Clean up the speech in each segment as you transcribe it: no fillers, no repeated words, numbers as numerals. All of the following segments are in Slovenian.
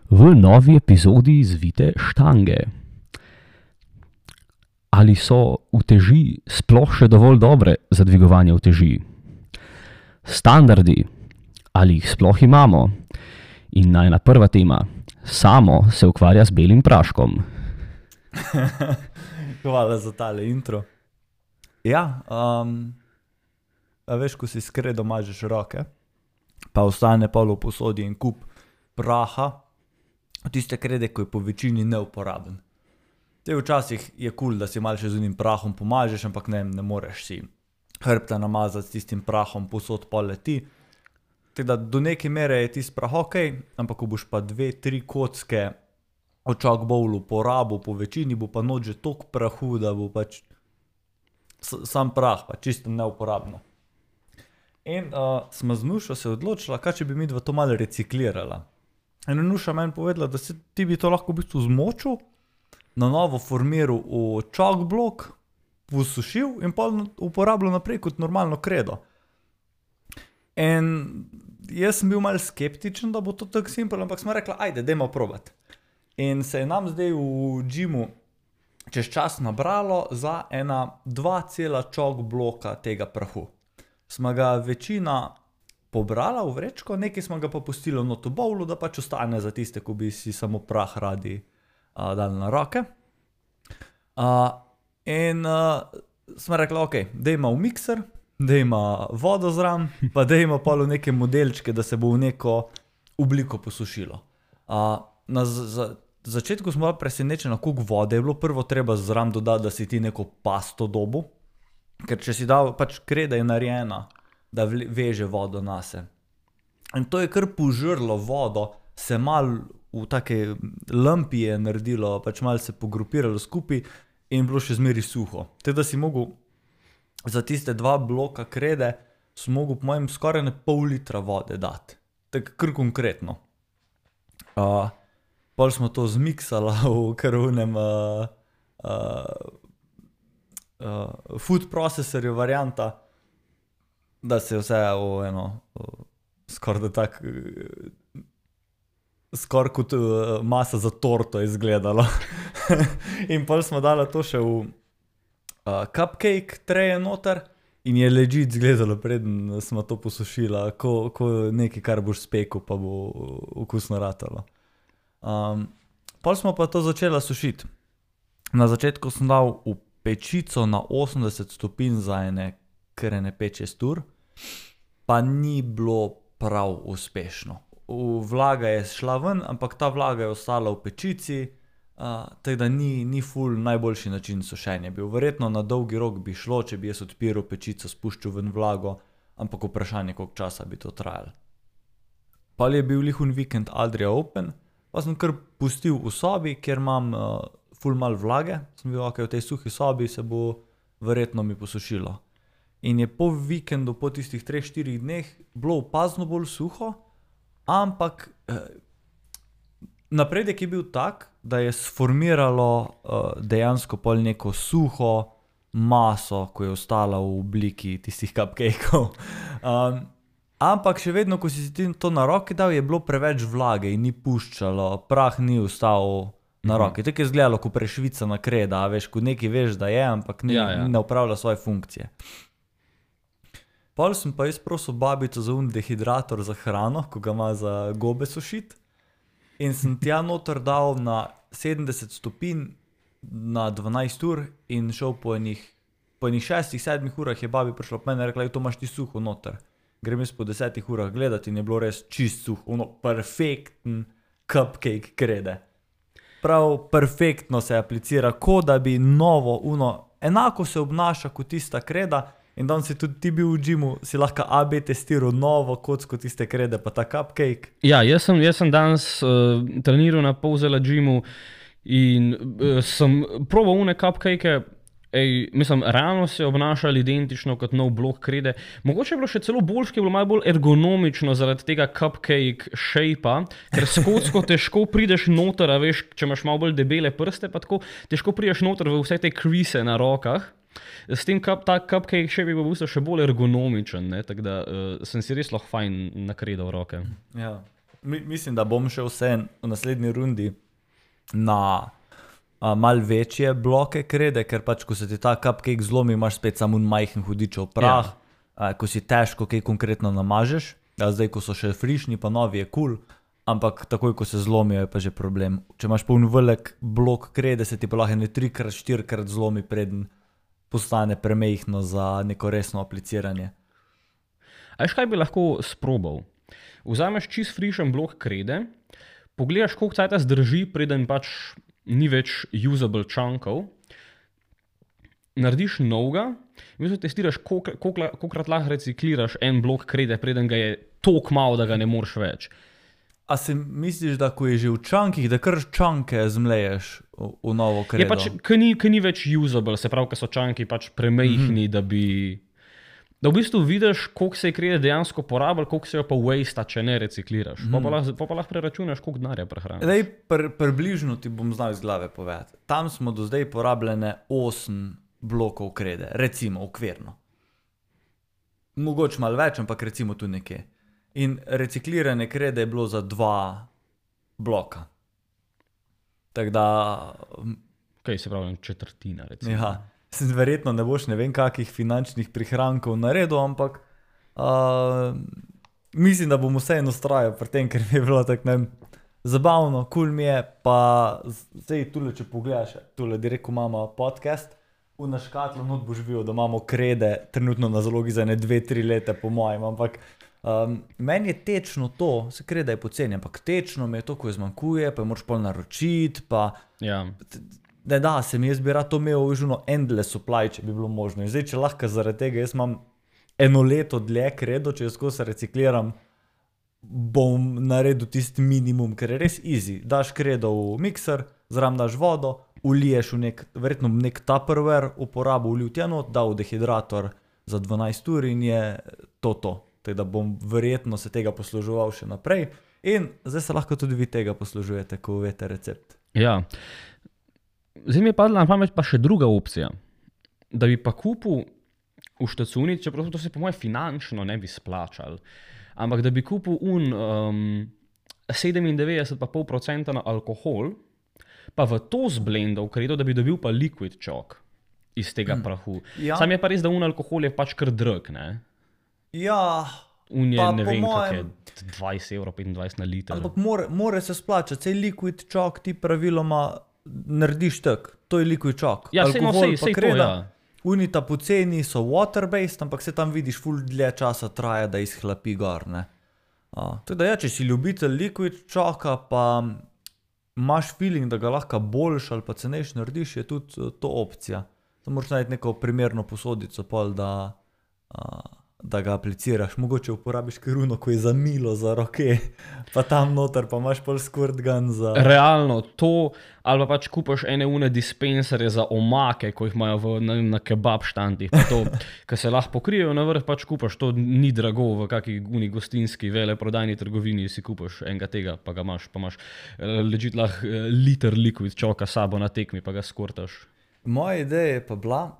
V novi epizodi zvite štange. Ali so uteži sploh še dovolj dobre za dvigovanje uteži? Standardi, ali jih sploh imamo? In najna prva tema, Samo se ukvarja z belim praškom. Hvala za tale intro. Ja, a veš, ko si s kredom mažeš roke, pa ostane pol v posodi en kup praha, tiste krede, ko je po večini neuporaben. Včasih je cool, da si malo še z unim prahom pomažeš, ampak ne moreš si hrbta namazati s tistim prahom, posod pol leti. Tako da do neke mere je tist prah okej, ampak ko boš pa 2-3 kocke v chalkbowlu porabil po večini, bo pa noč že toliko prahu, da bo pač sam prah, pa čisto neuporabno. In sva z Nušo se odločila, kaj če bi midva to malo reciklirala. In Nuša meni povedala, da ti bi to lahko v bistvu zmočil, na novo formiral v chalkblok, posušil in pa uporabljal naprej kot normalno kredo. In jaz sem bil malo skeptičen, da bo to tako simpel, ampak smo rekla, ajde, dajmo probati. In se je nam zdaj v gymu čez čas nabralo za ena 2 cela chalkbloka tega prahu. Smo ga večina pobrala v vrečko, nekaj smo ga pa pustili not v bowlu, da pač ostane za tiste, ko bi si samo prah radi dali na roke. In smo rekla, ok, dajmo v mikser, dajmo vodo zraven, pa dajmo pol v neke modelčke, da se bo v neko obliko posušilo. Na začetku smo bila presenečena, koliko vode je bilo, prvo treba zraven dodati, da si ti neko pasto dobil, ker če si dal, pač kreda je narejena, da veže vodo nase. In to je kar požrlo vodo, se malo v take lumpi je naredilo, pač malo se pogrupiralo skupaj in bilo še zmeri suho. Tako da si mogel za tiste 2 bloka krede, si mogel po mojem skoraj ne pol litra vode dati. Tako kar konkretno. Pol smo to zmiksala v kar onem food processorju varianta, da se je vse v eno skoraj da tak skoraj kot masa za torto izgledalo. In pol smo dala to še v cupcake treje noter in je legit izgledalo, preden smo to posušila, ko nekaj, kar boš spekel, pa bo okusno ratalo. Pol smo pa to začela sušiti. Na začetku sem dal v pečico na 80 stopinj za kar 5-6 ur, pa ni bilo prav uspešno. Vlaga je šla ven, ampak ta vlaga je ostala v pečici, tako da ni ful najboljši način sušenja bil. Verjetno na dolgi rok bi šlo, če bi jaz odpiral pečico, spuščal ven vlago, ampak vprašanje, koliko časa bi to trajalo. Pol je bil lihun vikend Adria Open, pa sem kar pustil v sobi, kjer imam ful mal vlage. Sem bil, ok, v tej suhi sobi se bo verjetno mi posušilo. In je po vikendu, po tistih 3-4 dneh, bilo opazno bolj suho, ampak napredek je bil tak, da je sformiralo dejansko pol neko suho maso, ko je ostala v obliki tistih cupcakeov. Ampak še vedno, ko si ti to na roke dal, je bilo preveč vlage in ni puščalo, prah ni ostal na roke. Tako je izgledalo, ko prešvicana kreda, veš, ko nekaj veš, da je, ampak ne upravlja svoje funkcije. Pol sem pa jaz prosil babico za dehidrator za hrano, ko ga ima za gobe sušiti. In sem tja noter dal na 70 stopinj na 12 ur in šel po enih 6-7 urah je babi prišla po mene in rekla, to imaš ti suho noter. Grem jaz po 10 urah gledati in je bilo res čist suho, perfekten cupcake krede. Prav perfektno se aplicira, ko da bi novo, enako se obnaša kot tista kreda. In danes si tudi ti bil v gymu, si lahko AB testiral novo kocko tiste krede, pa ta cupcake. Ja, jaz sem danes treniral na Polzela gymu in sem probal one cupcake, mislim, realno se je obnašali identično kot nov blok krede. Mogoče je bilo še celo boljše, ki je bilo malo bolj ergonomično zaradi tega cupcake shape-a, ker s kocko težko prideš noter, a veš, če imaš malo bolj debele prste, pa tako težko prideš noter v vse te crease na rokah. S tem ta cupcake shape je bil v bistvu še bolj ergonomičen, tako da sem si res lahko fajn nakredal roke. Ja. mislim, da bom šel vse v naslednji rundi na mal večje bloke krede, ker pač, ko se ti ta cupcake zlomi, imaš spet samo majhen hudičev prah, ko si težko kaj konkretno namažeš, zdaj, ko so še frišni, pa novi je cool, ampak takoj, ko se zlomijo, je pa že problem. Če imaš poln velik blok krede, se ti pa lahko 3x-4x zlomi, preden postane premejhno za neko resno apliciranje. A veš, kaj bi lahko sprobal? Vzameš čist frišen blok krede, pogledaš, koliko cajta zdrži, preden pač ni več usable chunkov, narediš novega in testiraš, kolikrat lahko recikliraš en blok krede, preden ga je toliko malo, da ga ne moreš več. A si misliš, da ko je že v čankih, da kar čanke zmleješ v novo kredo? Je pač, ko ni več usable, se pravi, ko so čanki pač premejhni, da v bistvu vidiš, koliko se je krede dejansko porabil, koliko se jo pa waste, če ne recikliraš. Pa lahko preračunaš, koliko denarja prehraniš. Približno ti bom znal iz glave povedati. Tam smo do zdaj porabljene 8 blokov krede, recimo okvirno. Mogoče malo več, ampak recimo tu nekje. In reciklirane krede je bilo za 2 bloka. Tako da... Kaj se pravi, četrtina, recimo. Ja. Verjetno ne boš ne vem kakih finančnih prihrankov naredil, ampak mislim, da bom vseeno ustrajal pri tem, ker mi je bilo tako zabavno, cool mi je, pa zdaj tule, če pogledaš, tule direkt, ko imamo podcast, v naš škatlo not boš videl, da imamo krede trenutno na zalogi za 2-3 leta po mojem, ampak meni je tečno to, se kreda je poceni, ampak tečno mi je to, ko je zmanjkuje, pa je moraš pol naročiti, pa... Ja. Da, se mi jaz bi rad to imel užno endless supply, če bi bilo možno. In zdaj, če lahko zaradi tega, jaz imam 1 leto dlje kredo, če jaz se recikliram, bom naredil tisti minimum, ker je res easy. Daš kredo v mikser, zraven daš vodo, uliješ v verjetno nek Tupperware, uporabo ulil tja not, dal v dehidrator za 12 ur in je to. Tako da bom verjetno se tega posluževal še naprej. In zdaj se lahko tudi vi tega poslužujete, ko veste recept. Ja. Zdaj mi je padla na pamet pa še druga opcija, da bi pa kupil v štacuni, čeprav to se po moje finančno ne bi splačal, ampak da bi kupil 97,5% na alkohol, pa v to zblendal kredo, da bi dobil pa liquid chalk iz tega prahu. Ja. Sam je pa res, da alkohol je pač kar drag, ne? Ja, pa ne vem, kak je 20 €, 25 na liter. Ampak more se splačati, sej liquid chalk ti praviloma narediš tak, to je liquid chalk. Ja, alkohol pa kreda, unita poceni so water-based, ampak se tam vidiš ful dlje časa traja, da izhlapi gor, ne. Teda ja, če si ljubitelj liquid chalka, pa imaš feeling, da ga lahko boljš ali pa cenejš narediš, je tudi to opcija. Samo moraš najti neko primerno posodico pol, da ga apliciraš. Mogoče uporabiš kiruno, ko je za milo, za roke, pa tam noter, pa imaš pol squirt gun za... Realno, to, ali pa pač kupaš ene dispenserje za omake, ko jih imajo na kebab štantih, pa to, ko se lahko pokrijejo na vrh, pač kupaš, to ni drago, v kaki gostinski veleprodajni trgovini si kupaš enega tega, pa ga imaš, legit lahko liter liquid chalka sabo na tekmi, pa ga skortaš. Moja ideja je pa bila,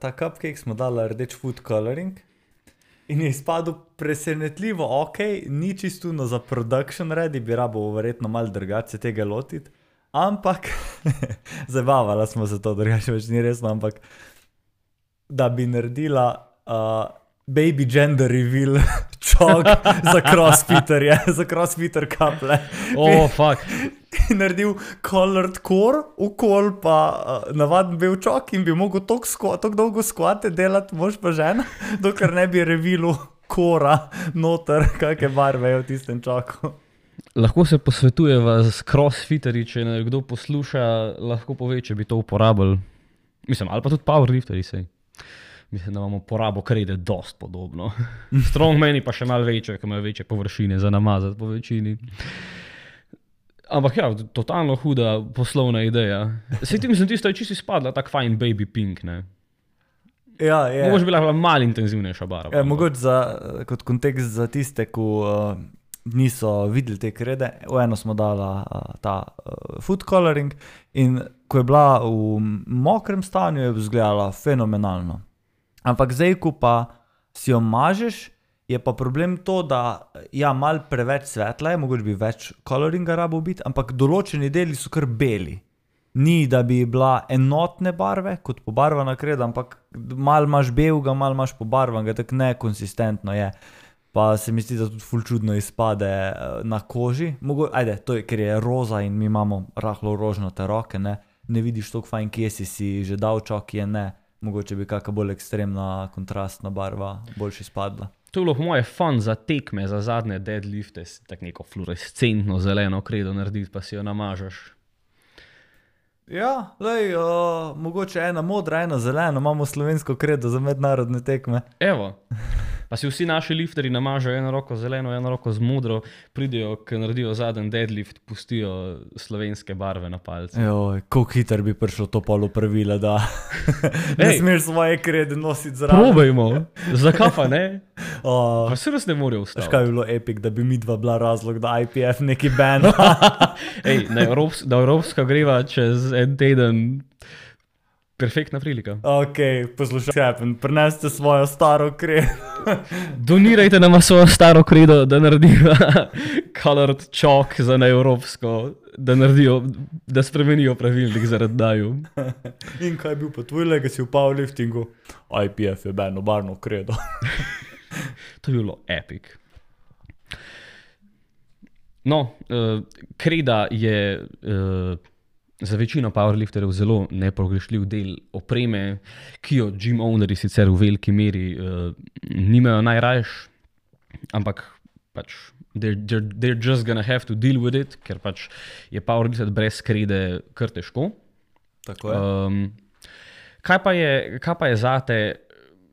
ta cupcake smo dali rdeč food coloring, in je izpadel presenetljivo, ni čistno za production ready, bi rabo verjetno malo drugače tega lotiti, ampak, zabavala smo se to, drugače več ni resno, ampak, da bi naredila baby gender reveal chalk za crossfitterje, za crossfitter kaple. Fuck. Naredil colored core, okol pa navaden bel chalk in bi mogel toliko dolgo skvate delati, mož pa žena, dokler ne bi revealu kora noter, kakve barve je v tistem chalku. Lahko se posvetujeva s crossfitterji, če kdo posluša, lahko pove, če bi to uporabil. Mislim, ali pa tudi powerlifteri sej. Mislim, da imamo porabo krede dost podobno. Strongmani pa še malo večje, ki imajo večje površine za namazati po večini. Ampak ja, totalno huda poslovna ideja. Sej ti mislim, tisto je čisto izpadla tak fajn baby pink, ne? Ja, je. Mogoče bila malo intenzivnejša barva. Ja, mogoče kot kontekst za tiste, ko niso videli te krede, v eno smo dala ta food coloring in ko je bila v mokrem stanju, je izgledala fenomenalno. Ampak zdaj, ko pa si jo mažeš je pa problem to, da ja, malo preveč svetla je, mogoče bi več coloringa rabo biti, ampak določeni deli so kar beli. Ni, da bi bila enotne barve, kot pobarvana kreda, ampak malo imaš belega, malo imaš pobarvanega, tako nekonsistentno je. Pa se mi zdi, da tudi ful čudno izpade na koži. Ajde, to je, ker je roza in mi imamo rahlo rožnate roke, ne vidiš toliko fajn, kje si že dal čok, je ne. Mogoče bi kakšna bolj ekstremna kontrastna barva boljše izpadla. To je bilo po moje fun za tekme, za zadnje deadlifte, tako neko fluorescentno zeleno kredo narediti, pa si jo namažeš. Ja, lej, mogoče ena modra, ena zelena, imamo slovensko kredo za mednarodne tekme. Evo, pa si vsi naši lifterji namažejo eno roko zeleno, eno roko z modro, pridejo, ko naredijo zadnji deadlift, pustijo slovenske barve na palce. Joj, koliko hiter bi prišlo to polo pravila, da ne smeš svoje krede nositi zraven. Probajmo, zakaj pa ne? Pa se res ne morajo ustaviti. Škaj bi bilo epic, da bi mi dva bila razlog, da IPF neki ban. Ej, da Evropska greva čez en teden. Perfektna prilika. Ok, poslušaj, prinesite svojo staro kredo. Donirajte nama svojo staro kredo, da naredijo colored chalk za neevropsko, da spremenijo pravilnik zaradi daju. In kaj je bil pa tvoj legacy v powerliftingu? IPF je beno barno kredo. To je bilo epic. No, kreda je za večino powerlifterjev zelo nepogrešljiv del opreme, ki jo gym ownerji sicer v veliki meri nimajo najrajš, ampak pač they're just gonna have to deal with it, ker pač je powerlifter brez krede kar težko. Tako je. Kaj pa je zate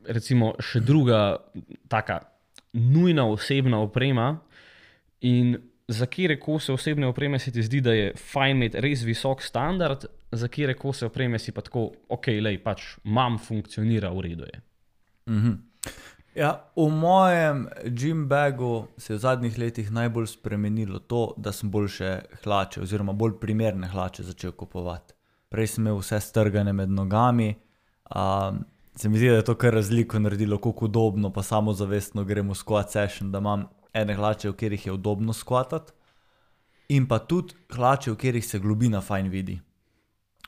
recimo še druga taka nujna osebna oprema in za kire kose osebne opreme se ti zdi, da je fajn imeti res visok standard, za kire kose opreme si pa tako, ok, lej, pač imam, funkcionira, v redu je. Ja, v mojem gym bagu se je v zadnjih letih najbolj spremenilo to, da sem boljše hlače oziroma bolj primerne hlače začel kupovati. Prej sem imel vse strgane med nogami, se mi zdi, da je to kar razliko naredilo, koliko udobno pa samozavestno gremo v squat session, da imam ene hlače, v katerih je udobno skvatati, in pa tudi hlače, v katerih se globina fajn vidi.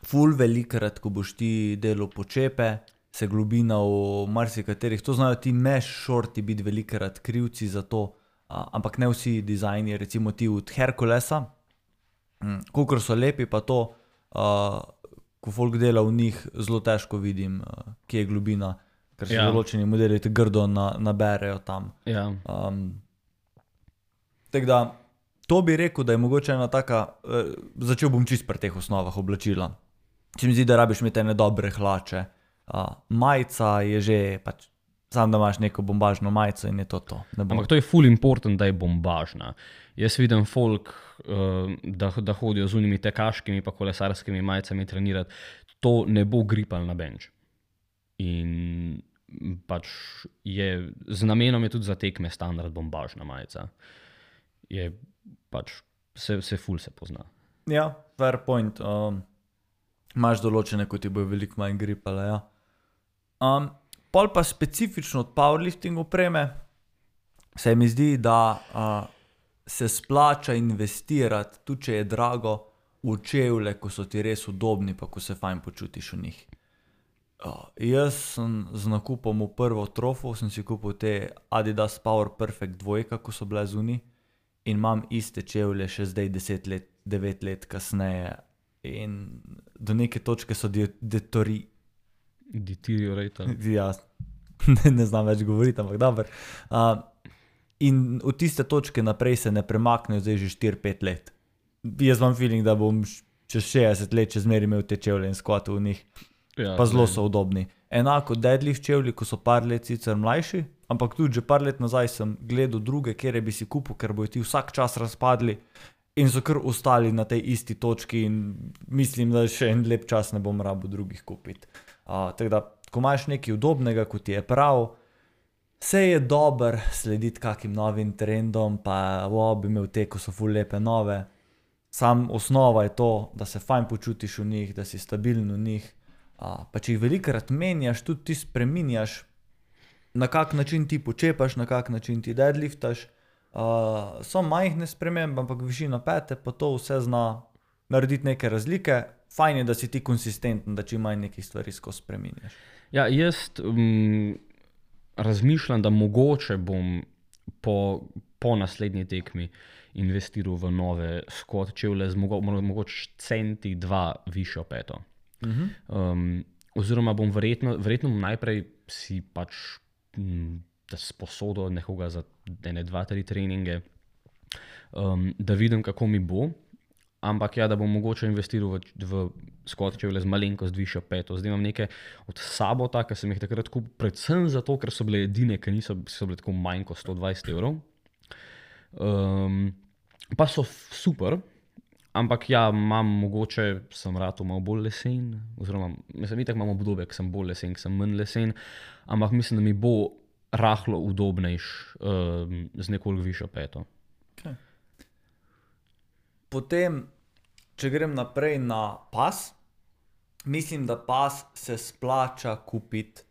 Ful velikrat, ko boš ti delal počepe, se globina v marsikaterih, to znajo ti mesh shorti biti velikrat krivci za to, ampak ne vsi dizajni, recimo ti od Herkulesa, kolikor so lepi, pa to, ko folk dela v njih, zelo težko vidim, kje je globina, ker se določeni modeli te grdo naberejo tam. Ja. Tako da, to bi rekel, da je mogoče ena taka, začel bom čist pri teh osnovah oblačila. Se mi zdi, da rabiš imeti ene dobre hlače. Majica je že, pač, sam da imaš neko bombažno majico in je to. Ampak to je ful important, da je bombažna. Jaz vidim folk, da hodijo z unimi tekaškimi pa kolesarskimi majicami trenirati. To ne bo gripal na bench. In pač z namenom je tudi za tekme standard bombažna majica. Je pač se ful se pozna. Ja, fair point. Imaš določene, ko ti bojo veliko manj gripale, ja. Pol pa specifično od powerlifting opreme se mi zdi, da se splača investirati, tudi če je drago, v čevlje, ko so ti res udobni, pa ko se fajn počutiš v njih. Jaz sem z nakupom v prvo trofo, sem si kupil te Adidas Power Perfect 2, ko so bile zunaj. In imam iste čevlje še zdaj 10 let, 9 let kasneje in do neke točke so deteriorate. Ja, ne znam več govoriti, ampak dober. In od tiste točke naprej se ne premaknejo zdaj že 4-5 let. Jaz imam feeling, da bom čez 60 let čez meri imel te čevlje in skvatil v njih. Ja, pa zelo so udobni. Enako deadlift čevlji, ko so par let sicer mlajši, ampak tudi že par let nazaj sem gledal druge, kjer bi si kupil, ker bojo ti vsak čas razpadli in so kar ostali na tej isti točki in mislim, da še en lep čas ne bom rabil drugih kupiti. Tako da, ko imaš nekaj udobnega, ko ti je prav, se je dober slediti kakim novim trendom, pa bi imel te, ko so ful lepe nove. Sam osnova je to, da se fajn počutiš v njih, da si stabilen v njih. Pa če jih velikrat menjaš, tudi ti spreminjaš, na kak način ti počepaš, na kak način ti deadliftaš. So majhne spremembe, ampak višina pete pa to vse zna narediti neke razlike. Fajn je, da si ti konsistenten, da čim manj nekih stvari skozi spreminjaš. Ja, jaz razmišljam, da mogoče bom po naslednji tekmi investiral v nove Scott čevlje z mogoče centi 2 višjo peto. Oziroma bom verjetno najprej si pač sposodil nekoga za 1, 2, 3 treninge, da vidim, kako mi bo. Ampak ja, da bom mogoče investiral v Scott čevlje z malenkost višjo peto. Zdaj imam neke od Sabota, ki sem jih takrat kupil, predvsem zato, ker so bile edine, ki so bile tako manj kot 120 €. Pa so super, ampak ja, sem ratal malo bolj lesen, oziroma mislim, itak imam obdobje, ki sem bolj lesen, ki sem manj lesen, ampak mislim, da mi bo rahlo udobnejš z nekoliko višjo peto. Okay. Potem, če grem naprej na pas, mislim, da pas se splača kupiti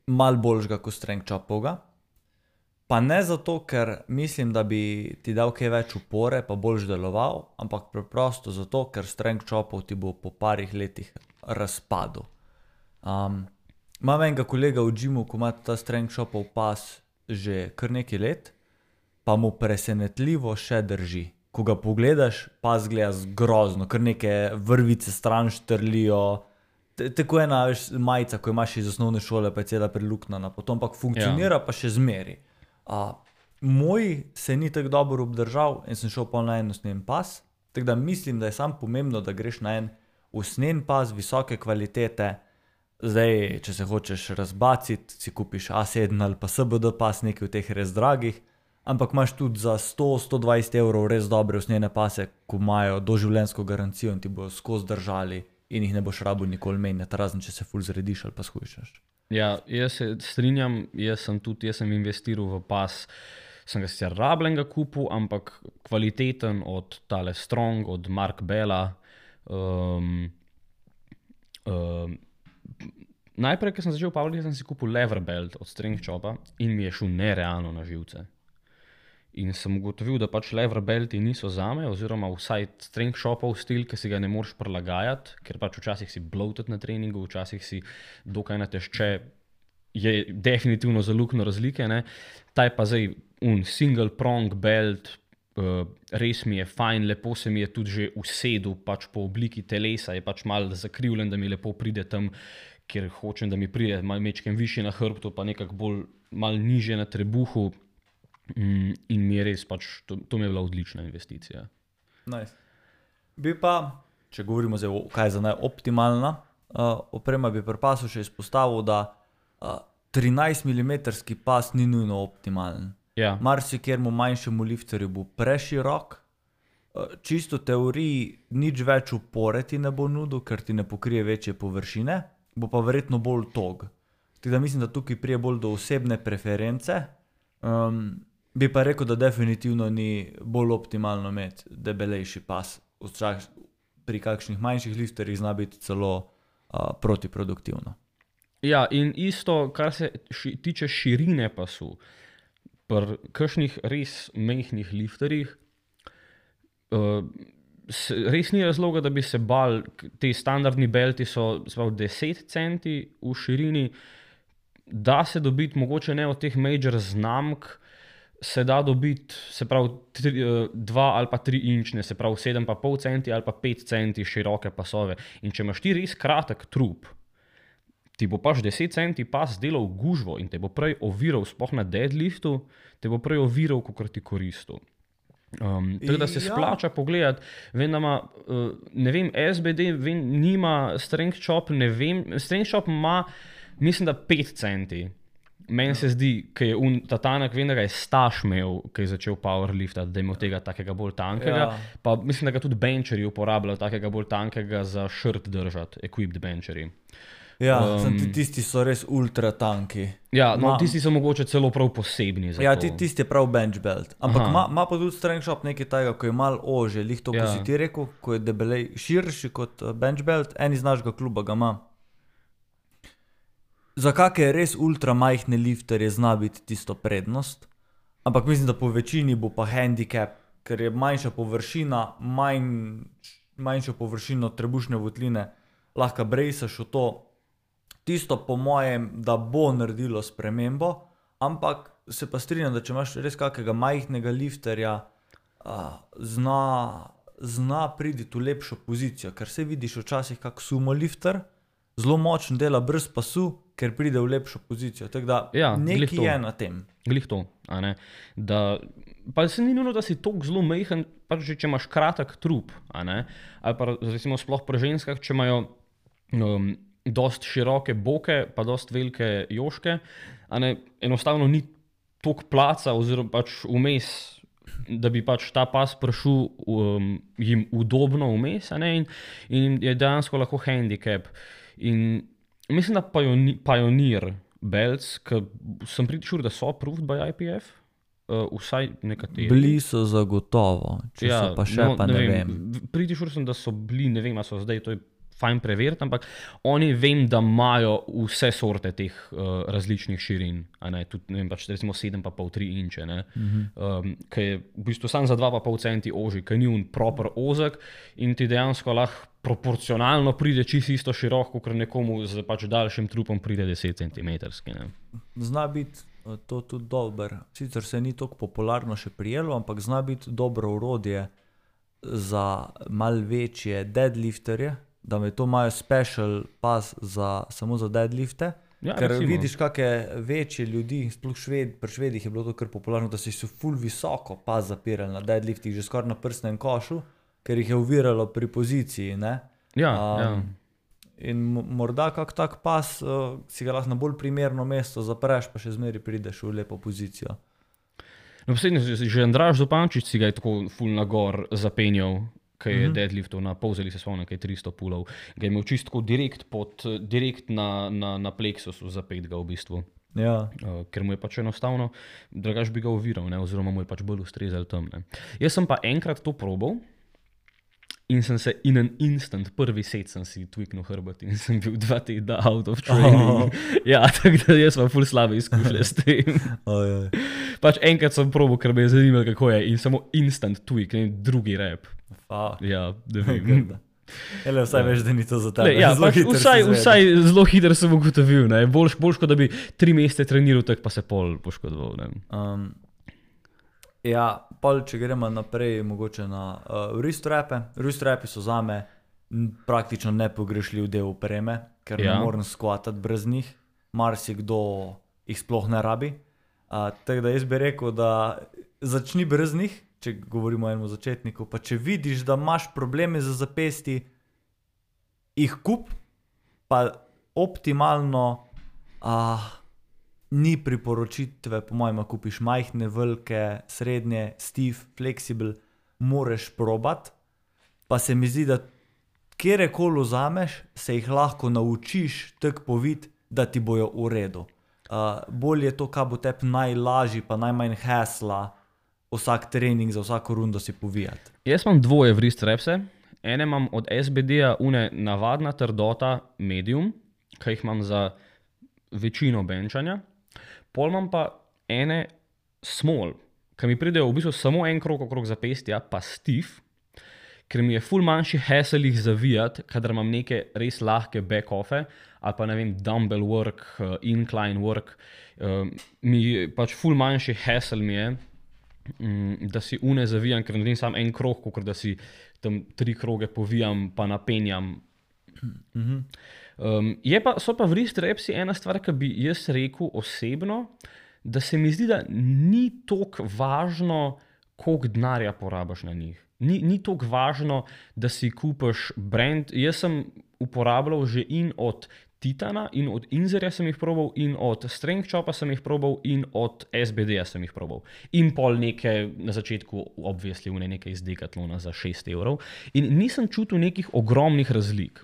malo boljšega kot strength chopovga. Pa ne zato, ker mislim, da bi ti dal kaj več upore pa boljš deloval, ampak preprosto zato, ker strength chopov ti bo po parih letih razpadel. Imam enega kolega v gymu, ko ima ta strength chopov pas že kar nekaj let, pa mu presenetljivo še drži. Ko ga pogledaš, pas gleda grozno, kar neke vrvice stran štrlijo. Tako ena majica, ko imaš iz osnovne šole, pa je cela preluknjena, potem pa funkcionira pa še zmeri. Moj se ni tako dobro obdržal in sem šel pa na en usnjen pas, tako da mislim, da je samo pomembno, da greš na en usnjen pas visoke kvalitete. Zdaj, če se hočeš razbaciti, si kupiš A7 ali pa SBD pas, nekaj v teh res dragih, ampak imaš tudi za 100-120 € res dobre usnjene pase, ko imajo doživljenjsko garancijo in ti bojo skozi držali in jih ne boš rabil nikoli menjati, razen če se ful zrediš ali pa shujšaš. Ja, jaz se strinjam, jaz sem investiral v pas, sem ga sicer rabljenega kupil, ampak kvaliteten od tale Strong, od Mark Bella. Najprej, ko sem začel pavljati, sem si kupil lever belt od Strength Chopa in mi je šel nerealno na živce. In sem ugotovil, da pač lever belti niso zame, oziroma vsaj Strength Chopov stil, ki si ga ne moreš prilagajati, ker pač včasih si bloated na treningu, včasih si dokaj natešče, je definitivno za luknjo razlike, ne. Ta je pa zdaj single prong belt, res mi je fajn, lepo se mi je tudi že usedel, pač po obliki telesa je pač malo zakrivljen, da mi lepo pride tam, kjer hočem, da mi pride malo mečkem višje na hrbtu, pa nekako bolj malo nižje na trebuhu. In mi je res pač, to mi je bila odlična investicija. Nice. Bi pa, če govorimo zdaj, kaj je za najoptimalna oprema, bi pri pasu še izpostavil, da 13 mm pas ni nujno optimalen. Ja. Marsikjermu manjšemu lifterju bo preširok, čisto v teoriji nič več upore ti ne bo nudil, ker ti ne pokrije večje površine, bo pa verjetno bolj tog. Tako da mislim, da tukaj prije bolj do osebne preference. Bi pa rekel, da definitivno ni bolj optimalno imeti debelejši pas. Pri kakšnih manjših lifterjih zna biti celo protiproduktivno. Ja, in isto, kar se tiče širine pasu, pri kakšnih res majhnih lifterjih, res ni razloga, da bi se bal, ti standardni belti so 10 centi v širini, da se dobiti, mogoče ne od teh major znamk, se da dobiti, se pravi 2 ali pa 3 inčne, se pravi 7,5 centi ali pa 5 centi široke pasove. In če imaš ti res kratek trup, ti bo pač 10 centi pas delal gužvo in te bo prej oviral, sploh na deadliftu, te bo prej oviral, kakor ti koristil. Tako da se splača pogledati, vem, da ima, ne vem, SBD, vem, nima Strength Chop, ne vem, Strength Chop ima, mislim, da 5 centi. Meni se zdi, ki je ta tanek, vem, da ga je Staš imel, ki je začel powerliftati, da je imel tega takega bolj tankega, pa mislim, da ga tudi bencherji uporabljajo takega bolj tankega za shirt držati, equipped bencherji. Ja, tisti so res ultra tanki. Ja, no, tisti so mogoče celo prav posebni za to. Ja, tisti je prav bench belt. Ampak ima pa tudi Strength Chop nekaj tega, ko je malo ože, lih to, ko si ti rekel, ko je debelej širši kot bench belt, en iz našega kluba ga ima. Za kakšne res ultra majhne lifterje zna biti tisto prednost, ampak mislim, da po večini bo pa handicap, ker je manjša površina, manjšo površino trebušne votline, lahko brejsaš v to. Tisto po mojem, da bo naredilo spremembo, ampak se pa strinjam, da če imaš res kakega majhnega lifterja, zna priti v lepšo pozicijo, ker se vidiš včasih kak sumo lifter, zelo močno dela brez pasu, ker pride v lepšo pozicijo. Tako da nekaj je na tem. Glih to, a ne. Da, pa se ni nujno, da si toliko zelo majhen, pač že če imaš kratek trup, a ne. Ali pa recimo sploh pri ženskah, če imajo dost široke boke, pa dost velike joške, a ne, enostavno ni toliko placa oziroma pač vmes, da bi pač ta pas prišel jim udobno vmes, a ne, in je dejansko lahko handicap. In mislim, da Pioneer belts, ki sem pretty sure, da so approved by IPF, vsaj nekateri. Bili so zagotovo, če so pa še, pa ne vem. Pretty sure sem, da so bili, ne vem, a so zdaj, to je fajn preveriti, ampak oni vem, da imajo vse sorte teh različnih širin, a ne, tudi, ne vem, pač recimo 7,5-3 inče, ne, ki je v bistvu sam za 2,5 centi oži, ki ni un proper ozek in ti dejansko lahko proporcionalno pride čisto isto široko, ker nekomu z pač daljšim trupom pride 10 centimetrski, ne. Zna biti to tudi dober, sicer se ni toliko popularno še prijelo, ampak zna biti dobro orodje za malo večje deadlifterje, da me to imajo special pas samo za deadlifte, ker recimo vidiš kakšne večje ljudi, sploh pri Švedih je bilo to kar popularno, da si ful visoko pas zapirali na deadliftih, že skoraj na prsnem košu, ker jih je oviralo pri poziciji, ne. In morda kak tak pas si ga lahko na bolj primerno mesto zapreš, pa še zmeri prideš v lepo pozicijo. No, poslednje, že Andraž Zupančič si ga je tako ful nagor zapenjal, ki je deadliftov na Povzeli, se spomnim, ki je 300 pulov. Ga je imel čisto direkt na plexusu zapet ga v bistvu. Ja. Ker mu je pač enostavno, drugač bi ga oviral, ne, oziroma mu je pač bolj ustrezal tam, ne. Jaz sem pa enkrat to probal in sem se in an instant, prvi set sem si tweaknul hrbet in sem bil 2 tedna out of training. Ja, tako da jaz imam ful slabe izkušnje s tem. Pač enkrat sem probal, ker me je zanimalo, kako je, in samo instant tweak, ne, drugi rep. Ja, da vem. Ele, vsaj veš, da ni to za tebe. Ja, pač vsaj zelo hitro sem ugotovil, ne. Boljš, kot da bi 3 mesece treniral, tak pa se pol poškodoval, ne. Ja, pol, če gremo naprej, mogoče na wrist wrape. Wrist wrapi so zame praktično nepogrešljiv del opreme, ker ne morem skvatati brez njih. Marsikdo jih sploh ne rabi. Tako da jaz bi rekel, da začni brez njih, če govorimo o enem začetniku, pa če vidiš, da imaš probleme z zapestji, jih kup, pa optimalno ni priporočitve, po mojem, kupiš majhne, velike, srednje, stiff, flexible, moreš probat, pa se mi zdi, da kjerekoli vzameš, se jih lahko naučiš tako poviti, da ti bojo v redu. Bolj je to, kaj bo tebi najlažji, pa najmanj hasla, vsak trening za vsako rundo si povijati. Jaz imam dvoje wrist wrapse. Ene imam od SBD-ja, une navadna trdota medium, ki jih imam za večino benčanja. Pol imam pa ene small, ki mi pridejo v bistvu samo en krog okrog zapestja, pa stiff, ker mi je ful manjši hassle jih zavijati, kadar imam neke res lahke back-offe, ali pa ne vem, dumbbell work, incline work, mi pač ful manjši hassle mi je, da si une zavijam, ker naredim samo en krog, kot da si tam 3 kroge povijam, pa napenjam. So pa wrist wrapsi ena stvar, ki bi jaz rekel osebno, da se mi zdi, da ni toliko važno, koliko denarja porabiš na njih. Ni toliko važno, da si kupiš brand. Jaz sem uporabljal že in od Titana, in od Inzerja sem jih probal, in od Strength Chopa sem jih probal, in od SBD-ja sem jih probal. In pol neke, na začetku obviously neke iz Decathlona za 6 evrov. In nisem čutil nekih ogromnih razlik.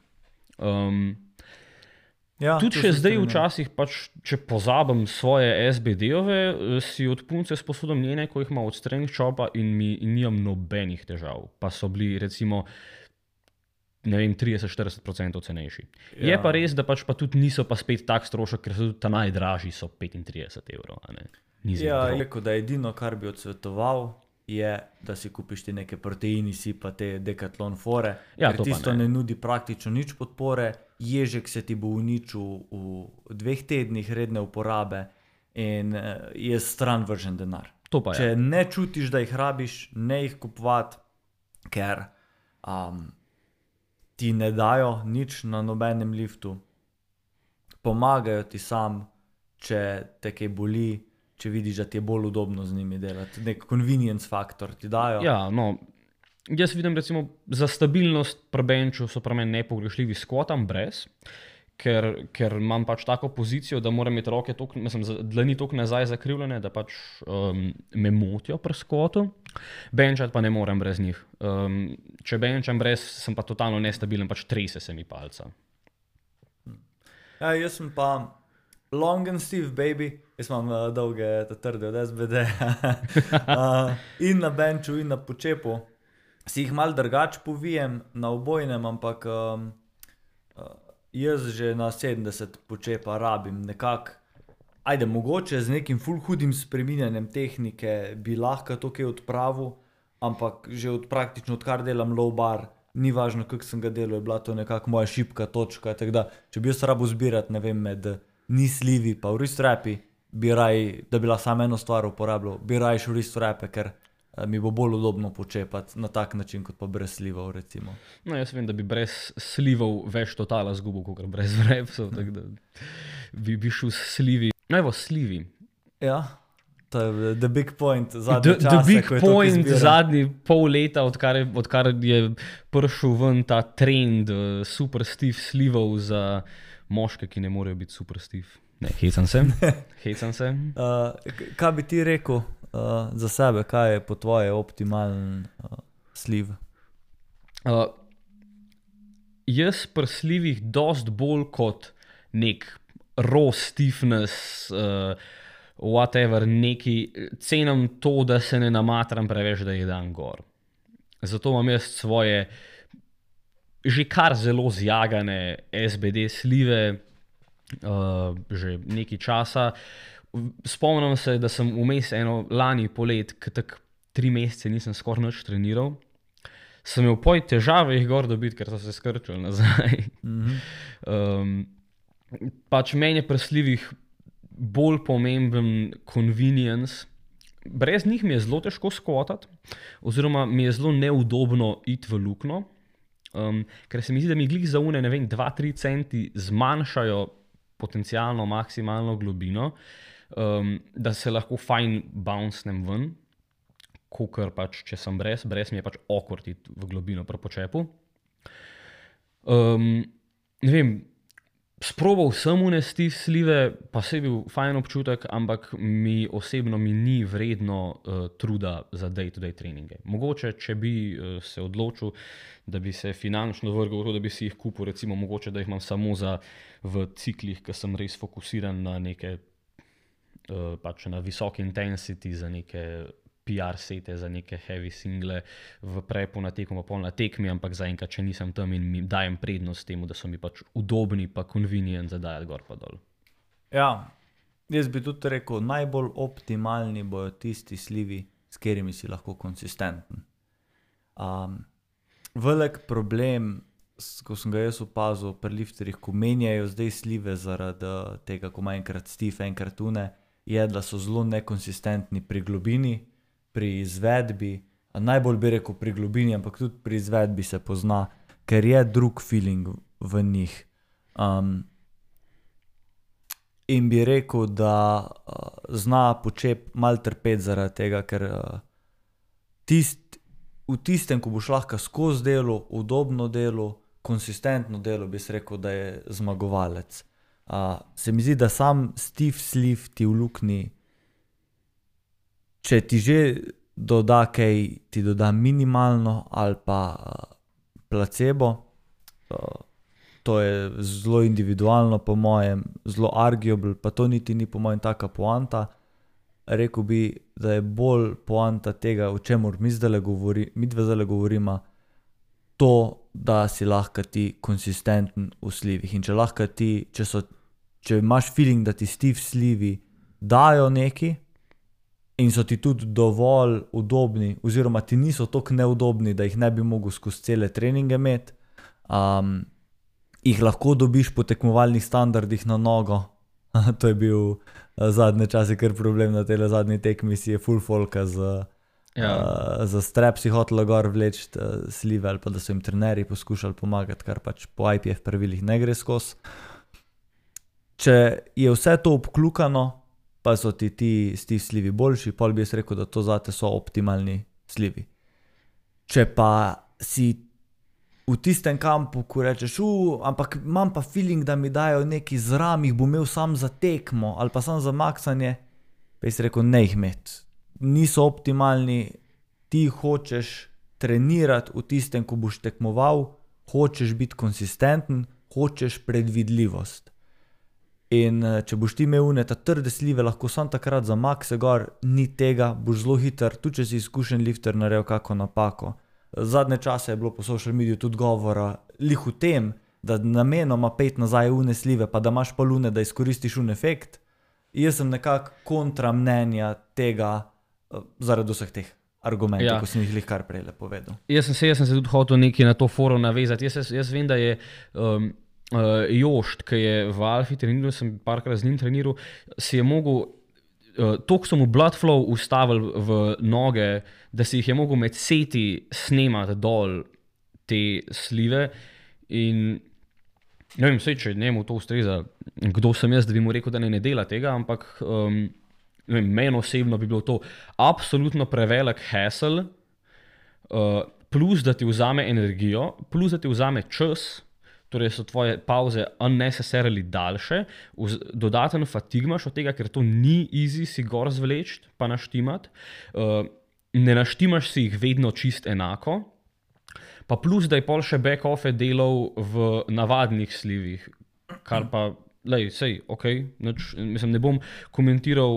Tudi še zdaj včasih, pač, če pozabim svoje SBD-ove, si od punce sposodim njene, ko jih ima od Strength Chopa in nimam nobenih težav. Pa so bili recimo ne vem, 30-40% cenejši. Je pa res, da pač pa tudi niso pa spet tak strošek, ker so tudi ta najdražji so 35 evrov. Ja, rekel, da edino, kar bi odsvetoval, je, da si kupiš ti neke proteini, si pa te Decathlon fore, Ja, ker to pa tisto ne. ne nudi praktično nič podpore, ježek se ti bo uničil v 2 tednih redne uporabe in je stran vržen denar. To pa je. Če ne čutiš, da jih rabiš, ne jih kupovati, ker ti ne dajo nič na nobenem liftu, pomagajo ti sam, če te kaj boli, če vidiš, da ti je bolj udobno z njimi delati. Nek convenience faktor ti dajo. Ja, no, jaz vidim recimo za stabilnost pri benchu so pri meni nepogrešljivi squatam brez, ker imam pač tako pozicijo, da moram imeti roke toliko, mislim, dlani toliko nazaj zakrivljene, da pač me motijo pri squatu. Benčati pa ne morem brez njih. Če benčam brez, sem pa totalno nestabilen, pač trese se mi palca. Ja, jaz sem pa long and stiff baby, jaz imam dolge trde od SBD in na benču in na počepu. Si jih malo drugače povijem na obojnem, ampak jaz že na 70 počepa rabim nekako. Ajde, mogoče z nekim ful hudim spreminjanjem tehnike bi lahko to kaj odpravil, ampak že praktično odkar delam low bar, ni važno, kako sem ga delal, je bila to nekako moja šibka točka. Tako da, če bi jaz rabil zbirati, ne vem, med knee sleevi pa wrist wrapi, bi raj, da bi bila samo eno stvar uporabljal, bi raj wrist wrape, ker mi bo bolj udobno počepati na tak način, kot pa brez slivov, recimo. No, jaz vem, da bi brez slivov več totala zgubil, kot brez wrapsov, tako da bi šel s slivi. No, evo, slivi. Ja, to je the big point zadnje čase, The big ko je toliko point izbire. zadnji pol leta, odkar je prišel ven ta trend super stiff slivov za moške, ki ne morejo biti super stiff. Ne, hecam se. Kaj bi ti rekel za sebe, kaj je po tvoje optimalen sliv? Jaz pri slivih dost bolj kot nek raw stiffness, whatever, neki cenim to, da se ne namatram preveč, da jih dam gor. Zato imam jaz svoje že kar zelo zjagane SBD slive, že nekaj časa. Spomnim se, da sem vmes lani polet, ki tako 3 mesece nisem skoraj nič treniral, sem imel poj težave jih gor dobiti, ker so se skrčili nazaj. Pač meni je pri slivih bolj pomemben convenience. Brez njih mi je zelo težko squatati, oziroma mi je zelo neudobno iti v luknjo, ker se mi zdi, da mi glih za une, ne vem, 2-3 centi zmanjšajo potencialno maksimalno globino, da se lahko fajn bouncnem ven, kakor pač, če sem brez mi je pač awkward iti v globino pri počepu. Ne vem, sprobal sem une stiff slive, pa se je bil fajn občutek, ampak mi osebno ni vredno truda za day-to-day treninge. Mogoče, če bi se odločil, da bi se finančno vrgel v to, da bi si jih kupil, recimo mogoče, da jih imam samo v ciklih, ki sem res fokusiran na neke pač na visoke intensity, za neke PR sete, za neke heavy single v prepu na tekmo, pa pol na tekmi, ampak zaenkrat, če nisem tam in mi dajem prednost temu, da so mi pač udobni pa convenient za dajati gor pa dol. Ja, jaz bi tudi rekel, najbolj optimalni bojo tisti slivi, s katerimi si lahko konsistenten. Velik problem, ko sem ga jaz opazil pri lifterjih, ko menjajo zdaj slive zaradi tega, ko ima enkrat stiff, enkrat une, je, da so zelo nekonsistentni pri globini, pri izvedbi, najbolj bi rekel pri globini, ampak tudi pri izvedbi se pozna, ker je drug feeling v njih. In bi rekel, da zna počep malo trpeti zaradi tega, ker v tistem, ko boš lahko skozi delo, udobno delo, konsistentno delo, bi se rekel, da je zmagovalec. Se mi zdi, da sam stiff sleeve ti v luknji, če ti že doda kaj, ti doda minimalno ali pa placebo, to je zelo individualno po mojem, zelo arguable, pa to niti ni po mojem taka poanta. Rekel bi, da je bolj poanta tega, o čemur midva zdajle govorima, to, da si lahko ti konsistenten v slivih. In če imaš feeling, da ti stiv slivi dajo neki in so ti tudi dovolj udobni, oziroma ti niso toliko neudobni, da jih ne bi mogel skozi cele treninge imeti, jih lahko dobiš po tekmovalnih standardih na nogo. To je bil zadnje čase kar problem na tele zadnji tekmi, si je full folka za strep si hotelo gor vleči slive ali pa da so jim trenerji poskušali pomagati, kar pač po IPF pravilih ne gre skozi. Če je vse to obklukano, pa so ti stiv slivi boljši, pol bi jaz rekel, da to zate so optimalni slivi. Če pa si v tistem kampu, ko rečeš, ampak imam pa feeling, da mi dajo neki zram, jih bom imel sam za tekmo ali pa sam za maksanje, pa jaz rekel, ne jih imeti. Niso optimalni, ti hočeš trenirati v tistem, ko boš tekmoval, hočeš biti konsistenten, hočeš predvidljivost. In če boš ti imel ta trde slive, lahko sam takrat za makse gor, ni tega, boš zelo hiter, tudi če si izkušen lifter naredil kako napako. Zadnje čase je bilo po social mediju tudi govora lih v tem, da namenoma pet nazaj une slive, pa da imaš pol une, da izkoristiš un efekt. Jaz sem nekako kontra mnenja tega zaradi vseh teh argumentov, ko sem jih lih kar prej povedal. Jaz sem se tudi hotel nekaj na to forum navezati. Jaz vem, da je Jošt, ki je v Alfi treniral, sem parkrat z njim treniral, si je mogel, toliko so mu blood flow ustavili v noge, da si jih je mogel med seti snemati dol te slive in ne vem, če njemu to ustreza, kdo sem jaz, da bi mu rekel, da ne dela tega, ampak meni osebno bi bilo to absolutno prevelik hassle, plus da ti vzame energijo, plus da ti vzame čas, torej so tvoje pauze unnecessarily daljše, dodaten fatigmaš od tega, ker to ni easy si gor zvleči pa naštimati, ne naštimaš si jih vedno čist enako, pa plus, da je pol še back-offe delal v navadnih slivih, kar pa, mislim, ne bom komentiral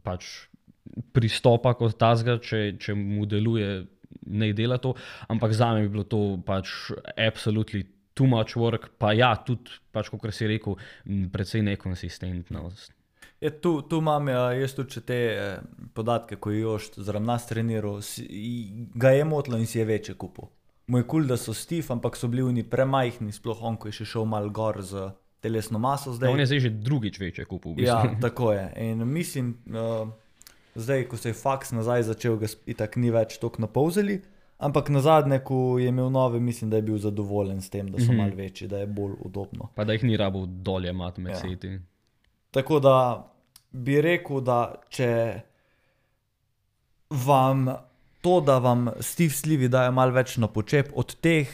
pač pristopa kot tazga, če mu deluje, ne dela to, ampak zame bi bilo to pač absolutely too much work, pa ja, tudi, pač, kot si rekel, precej nekonsistentnost. Tu imam jaz tudi te podatke, ko je Jošt zaradi nas treniral, ga je motilo in si je večje kupil. Mu je cool, da so stiv, ampak so bili oni premajhni, sploh on, ko je še šel malo gor z telesno maso zdaj. On je zdaj že drugič večje kupil. Ja, tako je. In mislim, zdaj, ko se je faks nazaj začel, ga itak ni več toliko napolzeli, ampak nazadnje, ko je imel nove, mislim, da je bil zadovoljen s tem, da so malo večji, da je bolj udobno. Pa da jih ni rabil dolje mat med seti. Tako da bi rekel, da če vam to, da vam stiv slivi dajo malo več na počep, od teh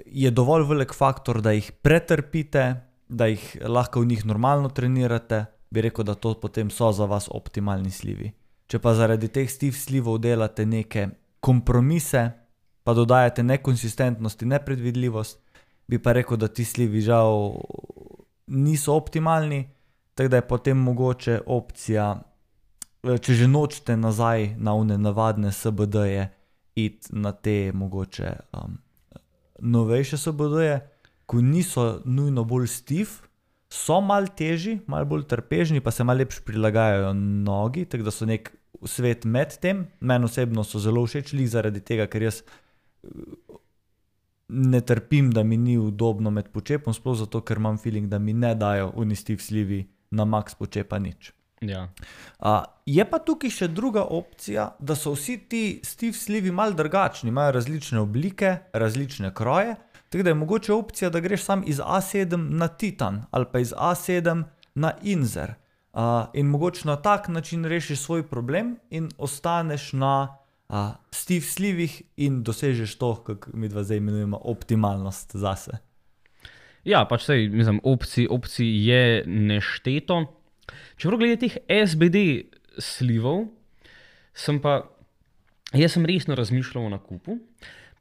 je dovolj velik faktor, da jih pretrpite, da jih lahko v njih normalno trenirate, bi rekel, da to potem so za vas optimalni slivi. Če pa zaradi teh stiv slivov delate neke kompromise, pa dodajate nekonsistentnost in nepredvidljivost, bi pa rekel, da ti slivi žal niso optimalni, tako da je potem mogoče opcija, če že nočete nazaj na one navadne SBD-je, iti na te mogoče novejše SBD-je, ko niso nujno bolj stiv, so malo težji, malo bolj trpežni, pa se malo lepš prilagajajo nogi, tako da so nek svet med tem. Meni osebno so zelo všeč zaradi tega, ker jaz ne trpim, da mi ni udobno med počepom, sploh zato, ker imam feeling, da mi ne dajo oni stiv slivi na max počepa nič. Ja. Je pa tukaj še druga opcija, da so vsi ti stiv slivi malo drugačni, imajo različne oblike, različne kroje, tako da je mogoče opcija, da greš sam iz A7 na Titan ali pa iz A7 na Inzer. In mogoče na tak način rešiš svoj problem in ostaneš na stiv slivih in dosežeš to, kako mi dva zdaj imenujemo, optimalnost zase. Ja, pač sej, mislim, opcij je nešteto. Čeprav glede teh SBD slivov, jaz sem resno razmišljal o nakupu,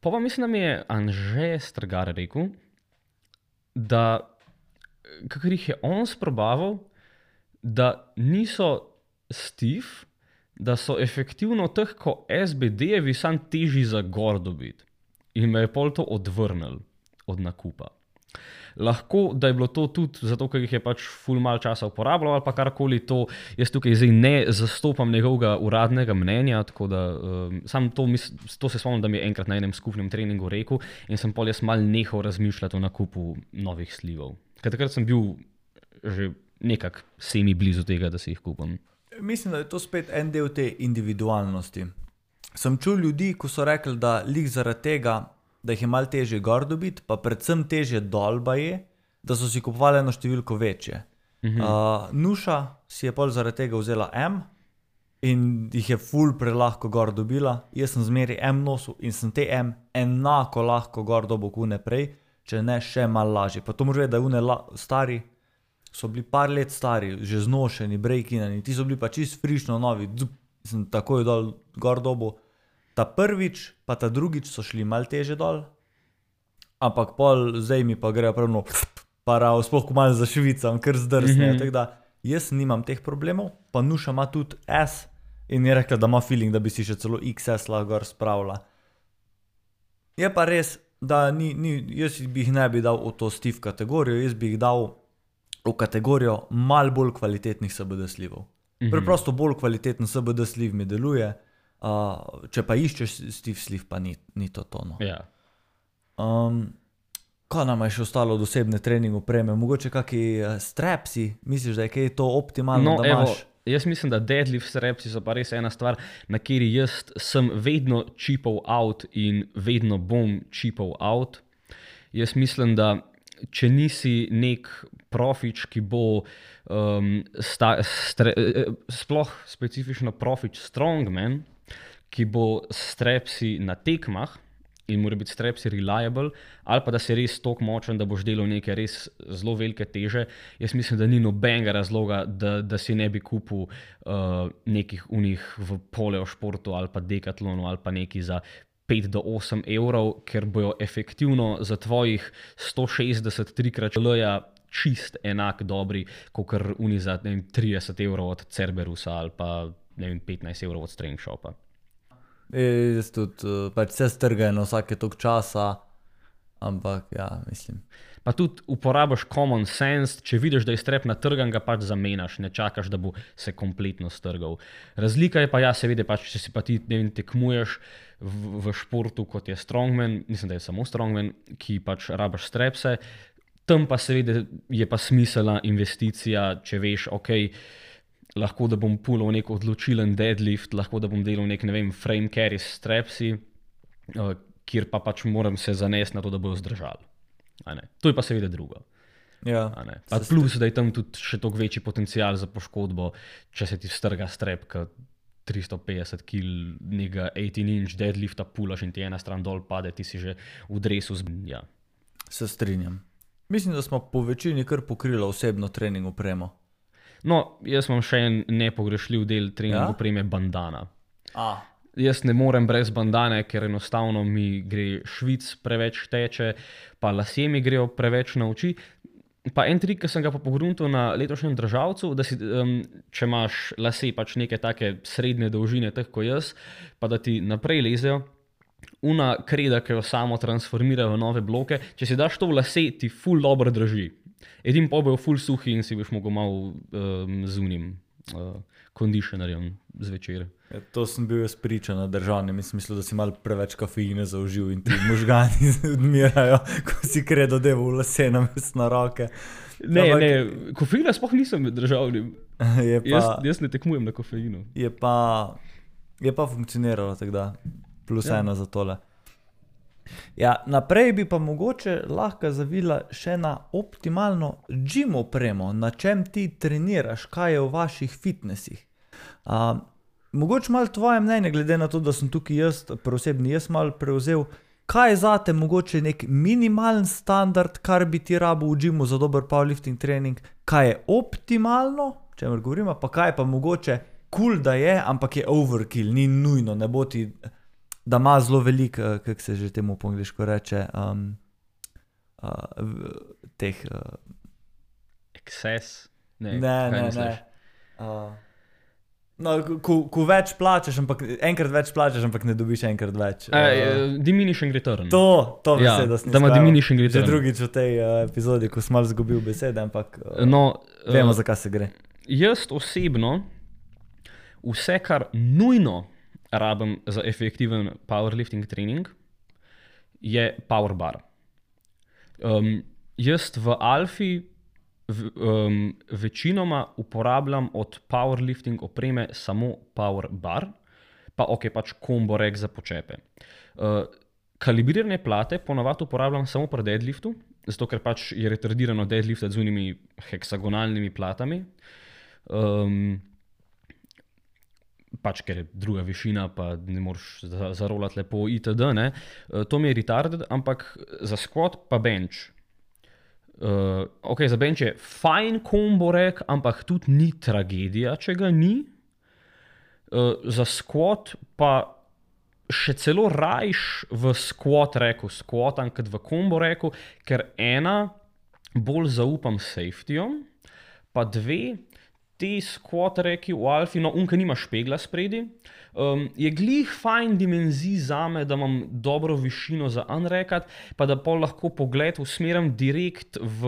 pa mislim, da mi je Anže Strgar rekel, da kakor jih je on sprobaval, da niso stiv, da so efektivno teh, ko SBD-jevi sam težji za gor dobiti. In me je pol to odvrnil od nakupa. Lahko, da je bilo to tudi zato, ker jih je pač ful mal časa uporabljal ali pa karkoli to, jaz tukaj zdaj ne zastopam njegovega uradnega mnenja, tako da sam to se spomnim, da mi je enkrat na enem skupnem treningu rekel in sem pol jaz mal nehal razmišljati o nakupu novih slivov. Ker takrat sem bil že nekako semi blizu tega, da si jih kupam. Mislim, da je to spet en del te individualnosti. Sem čul ljudi, ko so rekli, da lik zaradi tega, da jih je malo težje gor dobiti, pa predvsem težje dol baje, da so si kupovali eno številko večje. Nuša si je pol zaradi tega vzela M in jih je ful prelahko gor dobila. Jaz sem zmeri M nosil in sem te M enako lahko gor dobil kot une prej, če ne še malo lažje. Pa to moraš vedeti, da une stari so bili par let stari, že znošeni, breakinani, ti so bili pa čist frišno novi, sem takoj dol gor dobil. Ta prvič pa ta drugič so šli malo teže dol, ampak pol zdaj mi pa grejo pravno parav, sploh ko malo zašvicam, ker zdrsnejo, tako da jaz nimam teh problemov, pa Nuša ima tudi S in je rekla, da ima feeling, da bi si še celo XS lahko gor spravila. Je pa res, da jaz bi jih ne bi dal v to Steve kategorijo, jaz bi jih dal v kategorijo malo bolj kvalitetnih CBD slivov. Preprosto bolj kvaliteten CBD sliv mi deluje, če pa iščeš Steve sliv, pa ni to tono. Ja. Kaj nam je še ostalo od osebne trening opreme? Mogoče kaki strapsi? Misliš, da je kaj to optimalno, da imaš? Jaz mislim, da deadlift strapsi so pa res ena stvar, na kateri jaz sem vedno cheapal out in vedno bom cheapal out. Jaz mislim, da če nisi nek profič, ki bo sploh specifično profič strongman, ki bo strapsi na tekmah in mora biti strapsi reliable, ali pa da si res toliko močen, da boš delal neke res zelo velike teže, jaz mislim, da ni nobenega razloga, da si ne bi kupil nekih unih v poleošportu ali pa dekatlonu ali pa neki za 5 do 8 evrov, ker bojo efektivno za tvojih 160 3x čist enak dobri, kot uni za 30 evrov od Cerberusa ali pa 15 evrov od Strength Shopa. Jaz tudi, pač se strgajo na vsake toliko časa, ampak ja, mislim. Pa tudi uporabiš common sense, če vidiš, da je strep natrgan, ga pač zamenjaš, ne čakaš, da bo se kompletno strgal. Razlika je pa ja, seveda pač, če si pa ti tekmuješ v športu, kot je strongman, mislim, da je samo strongman, ki pač rabiš strepse, tam pa seveda je pa smiselna investicija, če veš, lahko da bom pulal nek odločilen deadlift, lahko da bom delal nek, ne vem, frame carry s strepsi, kjer pa pač moram se zanesti na to, da bojo zdržali. To je pa seveda drugo. Ja, pa plus, da je tam tudi še toliko večji potencial za poškodbo, če se ti strga strep, kot 350 kg nekega 18-inch deadlifta pulaš in ti ena stran dol pade, ti si že v dresu ja. Se strinjam. Mislim, da smo po večini kar pokrili osebno trening opremo. No, jaz imam še en nepogrešljiv del trening opreme, bandana. Jaz ne morem brez bandane, ker enostavno mi gre švic preveč teče, pa lasje mi grejo preveč na oči. Pa en trik, ki sem ga pa pogruntal na letošnjem državcu, da si, če imaš lase pač neke take srednje dolžine, teh ko jaz, pa da ti naprej lezejo, una kreda, ki jo samo transformirajo v nove bloke, če si daš to v lase, ti ful dobro drži. Edin pa bojo ful suhi in si boš mogel malo z unim kondišnerjem zvečer. Ja, to sem bil jaz priča na državnem in sem mislil, da si malo preveč kafeine zaužil in ti možgani odmirajo, ko si kredo devo v lase namesto na roke. Ne, kofeina sploh nisem med državnim. Jaz ne tekmujem na kofeinu. Je pa funkcioniralo, tako da plus ena za tole. Ja, naprej bi pa mogoče lahko zavila še na optimalno gym opremo, na čem ti treniraš, kaj je v vaših fitnessih. Mogoče malo tvoje mnenje, glede na to, da sem tukaj jaz malo prevzel, kaj je zate mogoče nek minimalen standard, kar bi ti rabil v gymu za dober powerlifting trening, kaj je optimalno, o čemer govorimo, pa kaj je pa mogoče cool, da je, ampak je overkill, ni nujno, ne bo ti, da ima zelo veliko, kako se že temu po angliško reče, teh... Excess? Ne. No, ko več plačaš, enkrat več plačaš, ampak ne dobiš enkrat več. Diminishing return. To Ja, beseda sem da ima izpravil. diminishing Že return. drugič v tej epizodi, ko sem malo zgubil besede, ampak No, vemo, za kaj se gre. jaz osebno vse, kar nujno rabim za efektiven powerlifting trening, je power bar. Jaz v Alfi večinoma uporabljam od powerlifting opreme samo power bar, pa pač combo rack za počepe. Kalibrirane plate ponavadi uporabljam samo pri deadliftu, zato ker pač je retardirano deadliftati z unimi heksagonalnimi platami. Pač ker je druga višina, pa ne moreš zarolati lepo itd. Ne? To mi je retarded, ampak za squat pa bench. Za bench je fajn combo rack, ampak tudi ni tragedija, če ga ni. Za squat pa še celo rajš v squat racku squatam, kot v combo racku, ker ena, bolj zaupam safetyjem, pa dve, te squat racki v Alfi, no unka nima špegla spredi, je glih fajn dimenzij zame, da imam dobro višino za unrackat, pa da pol lahko pogled usmerim direkt v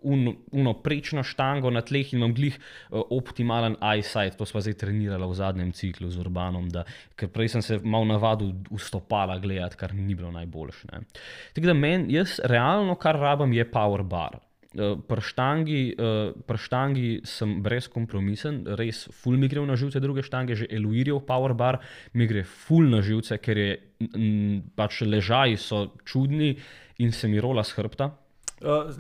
uno prečno štango na tleh in imam glih optimalen eyesight. To sva zdaj trenirala v zadnjem ciklu z Urbanom, ker prej sem se malo navadil v stopala gledati, kar ni bilo najboljše. Tako da jaz realno, kar rabim, je power bar. Pri štangi sem brezkompromisen, res ful mi gre na živce druge štange, že Eluirjev power bar mi gre ful na živce, ker je pač ležaji so čudni in se mi rola s hrbta.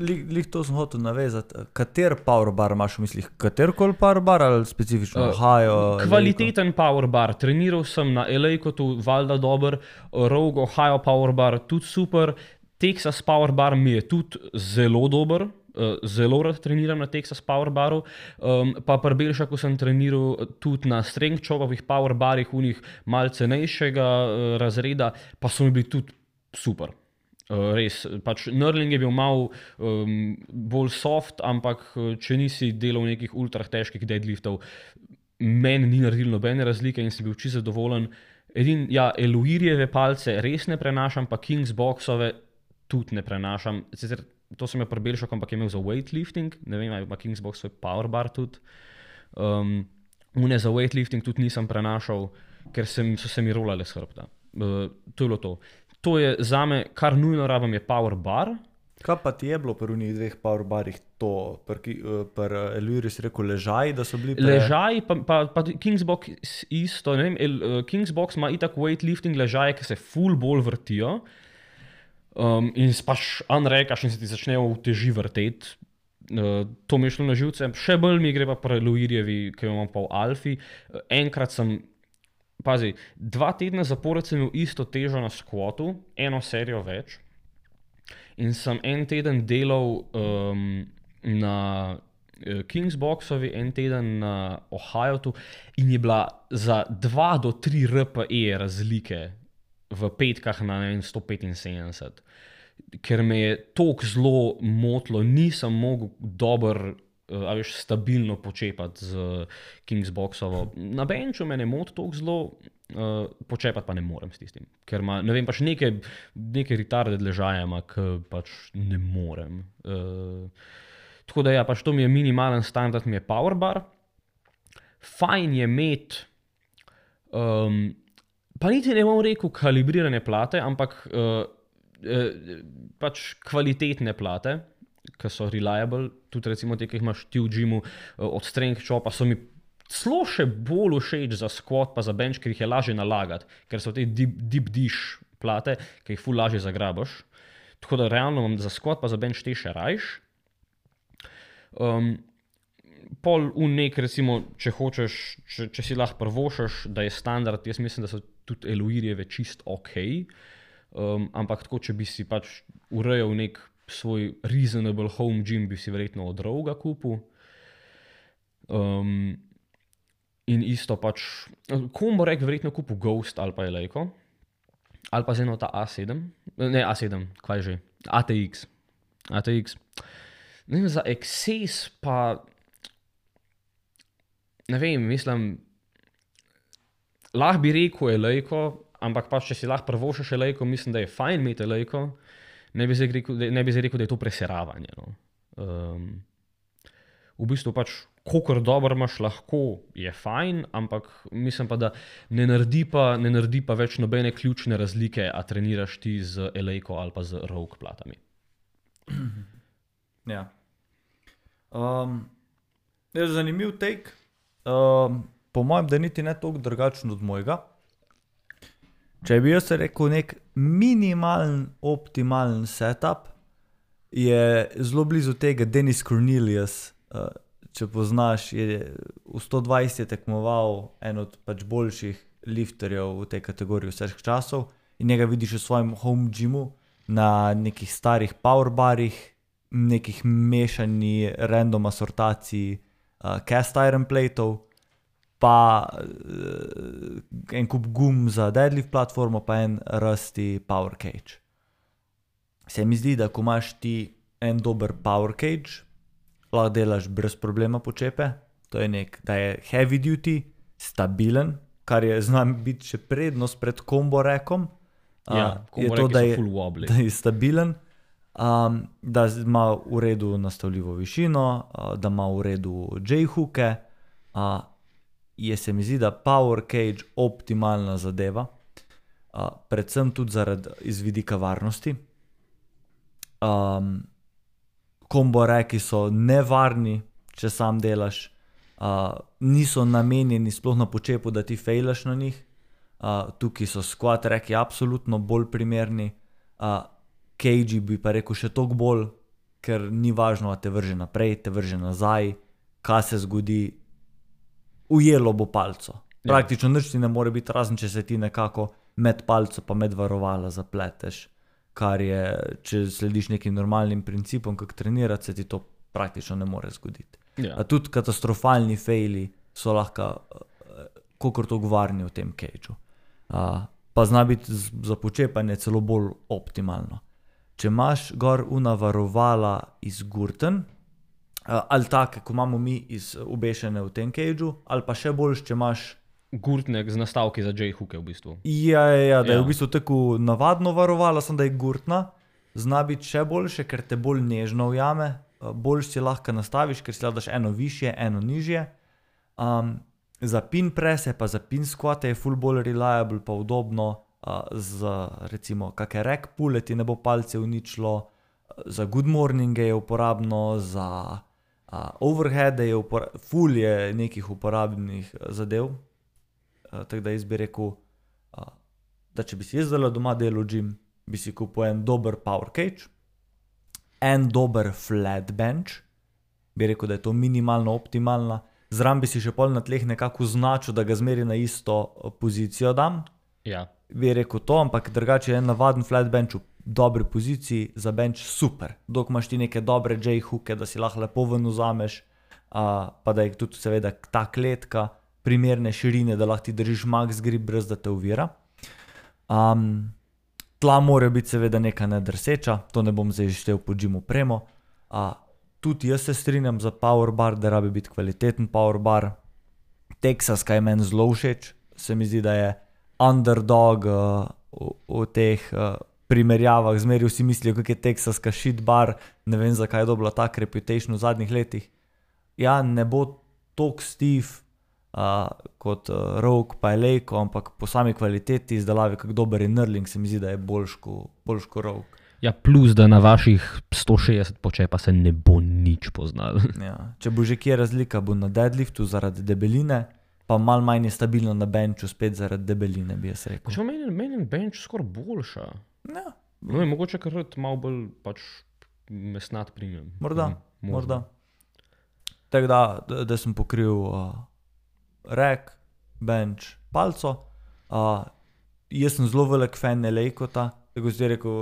Lih to sem hotel navezati. Kater power bar imaš v mislih? Katerkoli power bar ali specifično? Ohio, Kvaliteten power bar. Treniral sem na Elejkotu, valjda dober, Rogue Ohio power bar tudi super, Texas power bar mi je tudi zelo dober. Zelo rad treniram na Texas power baru, pa pri Belšaku sem treniral tudi na strength chopovih power barih, unih malce cenejšega razreda, pa so mi bili tudi super. Res, pač knurling je bil malo bolj soft, ampak če nisi delal nekih ultra težkih deadliftov, meni ni naredil nobene razlike in sem bil čisto zadovoljen. Eluirjeve palce res ne prenašam, pa Kingsboxove tudi ne prenašam. Sicer to sem je pri Belšaku, ampak je imel za weightlifting, ne vem, ali ima Kingsbox svoj power bar tudi. Une za weightlifting tudi nisem prenašal, ker so se mi rolale s hrbta. To je bilo to. To je zame, kar nujno rabim, je power bar. Kaj pa ti je bilo pri unih dveh power barih to? Pri Eluirju si rekel ležaji, da so bili Ležaji, pa Kingsbox isto, ne vem, Kingsbox ima itak weightlifting ležaje, ki se ful bolj vrtijo. In pač unrackaš in se ti začnejo v teži vrteti. To mi je šlo na živce. Še bolj mi gre pa pri Eluirjevi, ki jo imam pa v Alfi. Enkrat sem, 2 tedne zapored sem imel isto težo na squatu, eno serijo več. In sem en teden delal na Kingsboxovi, en teden na Ohiotu in je bila za 2 do 3 RPE razlike v petkah na 175. Ker me je toliko zelo motilo, nisem mogel dobro, stabilno počepati z Kingsboxovo. Na benchu me ne moti toliko zelo, počepati pa ne morem s tistim. Ker ima, ne vem, pač neke retarded ležaje ima, ki pač ne morem. Tako da pač to mi je minimalen standard, mi je power bar. Fajn je imeti pa niti ne bom rekel kalibrirane plate, ampak pač kvalitetne plate, ki so reliable, tudi recimo te, ki jih imaš ti v gymu od strength chopa, so mi celo še bolj všeč za squat pa za bench, ker jih je lažje nalagati, ker so te deep dish plate, ki jih ful lažje zagrabaš. Tako da realno imam za squat pa za bench te še rajš. Pol recimo, če hočeš, če si lahko prvošaš, da je standard, jaz mislim, da so tudi Eluirjeve čist ok, ampak tako, če bi si pač urejal nek svoj reasonable home gym, bi si verjetno od Roga kupil. In isto pač, combo rack verjetno kupil Ghost ali pa Elejko, ali pa z eno ta A7, ne A7, kaj že, ATX. Ne vem, za Excess pa ne vem, mislim, lahko bi rekel elejko, ampak pa če si lahko prvošaš elejko, mislim, da je fajn imeti elejko, ne bi zdaj rekel, da je to preseravanje. No. V bistvu pač, kolikor dobro imaš lahko, je fajn, ampak mislim pa, da ne naredi pa več nobene ključne razlike, a treniraš ti z elejko ali pa z rogue platami. Ja. Je zanimiv take. Po mojem, da niti ne toliko drugačen od mojega. Če bi jaz rekel nek minimalen, optimalen setup, je zelo blizu tega Dennis Cornelius. Če poznaš, je v 120 je tekmoval en od pač boljših lifterjev v tej kategoriji vseh časov in njega vidiš v svojem home gymu na nekih starih powerbarih, nekih mešani random asortaciji cast iron plateov, pa en kup gum za deadlift platformo, pa en rusty power cage. Se mi zdi, da ko imaš ti en dober power cage, lahko delaš brez problema počepe. To je da je heavy duty, stabilen, kar je znam biti še prednost pred combo rackom. Combo rack so full wobbly. Da je stabilen, da ima v redu nastavljivo višino, da ima v redu J-hooke. Se mi zdi, da power cage optimalna zadeva, predvsem tudi iz vidika varnosti. Combo racki so nevarni, če sam delaš, niso namenjeni sploh na počepu, da ti fejlaš na njih. Tukaj so squat racki absolutno bolj primerni, cagei bi pa rekel še toliko bolj, ker ni važno, a te vrže naprej, te vrže nazaj, kaj se zgodi, ujelo bo palco. Praktično nič ti ne more biti, razen če se ti nekako med palco pa med varovala zapleteš, kar je, če slediš nekim normalnim principom, kak trenirati, se ti to praktično ne more zgoditi. Tudi katastrofalni fejli so lahko kakor toliko varni v tem cageu. Pa zna biti za počepanje celo bolj optimalno. Če imaš gor una varovala iz gurten, ali take, ko imamo mi obešene v tem cageu, ali pa še boljš, če imaš gurtne z nastavki za J-hooke v bistvu. Da je v bistvu tako navadno varovala, samo da je gurtna, zna biti še boljše, ker te bolj nežno ujame, bolj si lahko nastaviš, ker si lahko daš eno višje, eno nižje. Za pin prese pa za pin squate je full bolj reliable pa udobno, za recimo kakšne rack pulle ti ne bo palce uničilo, za good morninge je uporabno, za overheade je full je nekih uporabnih zadev. Tako da jaz bi rekel, da če bi si jaz doma delal gym, bi si kupil en dober power cage, en dober flat bench, bi rekel, da je to minimalno optimalna, zraven bi si še pol na tleh nekako značil, da ga zmeri na isto pozicijo dam. Bi rekel to, ampak drugače je en navaden flat bench v dobri poziciji, za bench super. Dok imaš ti neke dobre J-hooke, da si lahko lepo ven vzameš, pa da je tudi seveda ta kletka primerne širine, da lahko ti držiš max grip, brez da te ovira. Tla mora biti seveda neka nedrseča, to ne bom zdaj štel po gym opremo. Tudi jaz se strinjam za power bar, da rabi biti kvaliteten power bar. Texas, kaj je meni zelo všeč, se mi zdi, da je underdog v teh primerjavah. Zmeri vsi mislijo, kak je teksaska shit bar, ne vem, zakaj je dobila tak reputation v zadnjih letih. Ne bo tok stiv kot rogue pa elejko, ampak po sami kvaliteti izdelavi, kak dober je knurling, se mi zdi, da je boljš ko rogue. Plus, da na vaših 160 počepa se ne bo nič poznal. Če bo že kje razlika, bo na deadliftu zaradi debeline, pa malo manj je stabilno na benchu spet zaradi debeline, bi jaz rekel. Če menim bench skoraj boljša. Mogoče kar malo bolj pač mesnat premium. Morda. Tako da sem pokril rack, bench, palco. Jaz sem zelo velik fan elejkota, tako si rekel,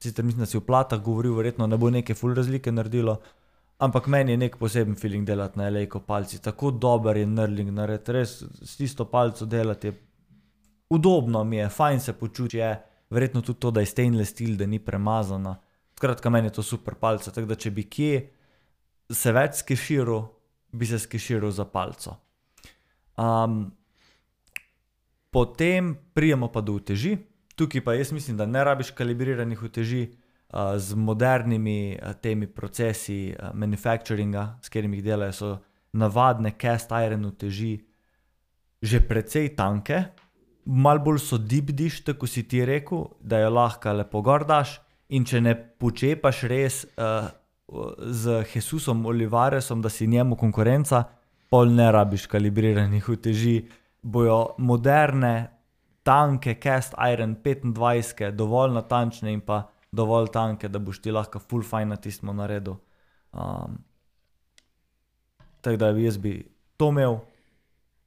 sicer mislim, da si v platah govoril, verjetno ne bo neke ful razlike naredilo, ampak meni je nek poseben feeling delati na elejko palci. Tako dober je knurling narediti, res s tisto palco delati je udobno mi je, fajn se počuti je, verjetno tudi to, da je stainless steel, da ni premazana. Skratka, meni je to super palca, tako da če bi kje se več skeširal, bi se skeširal za palco. Potem prijemo pa do uteži. Tukaj pa jaz mislim, da ne rabiš kalibriranih uteži z modernimi temi procesi manufacturinga, s katerimi jih delajo, so navadne cast iron uteži že precej tanke, malo bolj so deep dish, tako si ti rekel, da jo lahko lepo gor daš, in če ne počepaš res z Jesusom Olivaresom, da si njemu konkurenca, pol ne rabiš kalibriranih uteži, bojo moderne, tanke cast iron 25, dovolj natančne in pa dovolj tanke, da boš ti lahko full fine na tistem naredil. Tako da jaz bi to imel,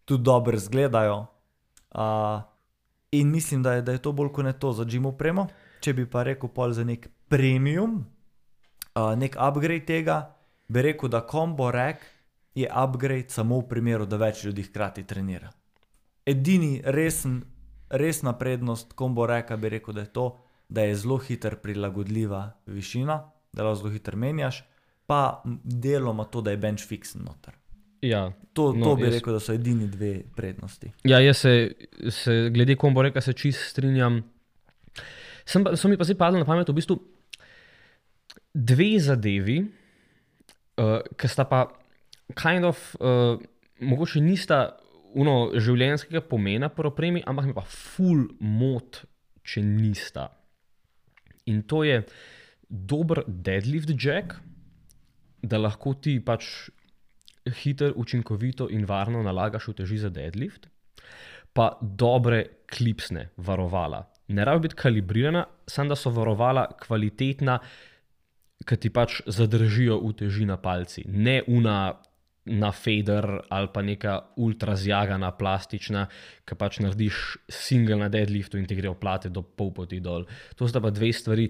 tudi dobro izgledajo. In mislim, da je to bolj kot ne to za gym opremo. Če bi pa rekel pol za nek premium, nek upgrade tega, bi rekel, da combo rack je upgrade samo v primeru, da več ljudi hkrati trenira. Edini resna prednost combo racka bi rekel, da je to, da je zelo hitro prilagodljiva višina, da lahko zelo hitro menjaš, pa deloma to, da je bench fixen noter. Ja, To bi rekel, da so edini dve prednosti. Ja, jaz se glede combo racka se čist strinjam. So mi pa zdaj padli na pamet v bistvu dve zadevi, ki sta pa kind of, mogoče nista življenjskega pomena pri opremi, ampak mi pa ful mot, če nista. In to je dober deadlift jack, da lahko ti pač hitro, učinkovito in varno nalagaš uteži za deadlift, pa dobre klipsne varovala. Ne rabi biti kalibrirana, samo da so varovala kvalitetna, ki ti pač zadržijo uteži na palci. Ne na fader ali pa neka ultra zjagana plastična, ki pač narediš single na deadliftu in ti gre oplate do pol poti dol. To sta pa dve stvari.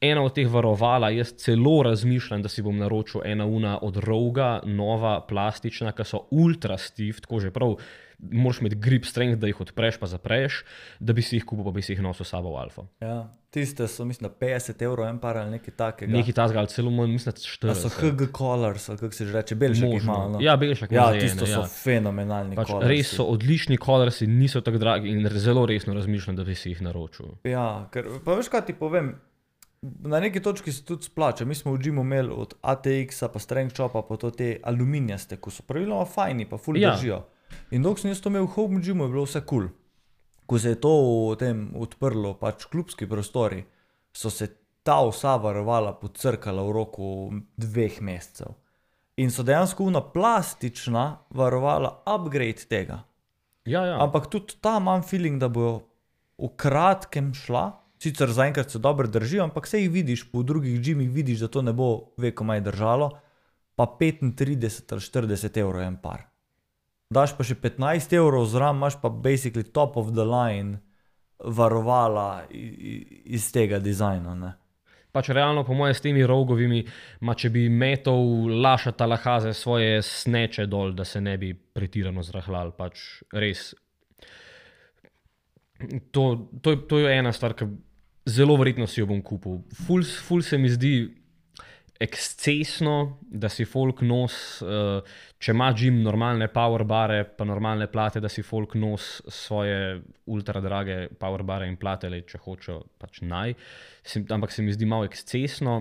Ena od teh varovala, jaz celo razmišljam, da si bom naročil ena od Roga, nova plastična, ki so ultra stiff, tako že prav, moraš imeti grip strength, da jih odpreš pa zapreš, da bi si jih kupil, pa bi si jih nosil sabo v alfo. Ja, tiste so, mislim, 50 € en par ali nekaj takega. Nekaj takega, ali celo manj, mislim, 40. A so HG Colors, ali kako se že reče, Belšak jih ima, no? Ja, Belšak Ja, ima za tisto ene, so fenomenalni Pač colorsi. res so odlični colorsi, niso tako dragi in zelo resno razmišljam, da bi si jih naročil. Ja, ker, pa veš kaj ti povem, na neki točki se tudi splača. Mi smo v gymu imeli od ATX-a pa Strength Shopa pa to te aluminijaste, ko so praviloma fajni pa ful držijo. In dok sem jaz to imel v home gymu, je bilo vse cool. Ko se je to v tem odprlo, pač klubski prostori, so se ta vsa varovala podcrkala v roku 2 mesecev. In so dejansko plastična varovala upgrade tega. Ja. Ampak tudi ta imam feeling, da bojo v kratkem šla, sicer zaenkrat se dobro držijo, ampak se jih vidiš, po drugih gymih vidiš, da to ne bo vekomaj držalo, pa 35 ali 40 € en par. Daš pa še 15 € zraven, imaš pa basically top of the line varovala iz tega dizajna, ne. Pač realno, po moje, s temi rogovimi, če bi metal Laša Talahaze svoje sneče dol, da se ne bi pretirano zrahljal, pač res. To je ena stvar, ki zelo verjetno si jo bom kupil. Ful se mi zdi ekscesno, da si folk nos, če ima gym normalne power bare pa normalne plate, da si folk nos svoje ultra drage power bare in plate, če hočejo, pač naj. Ampak se mi zdi malo ekscesno,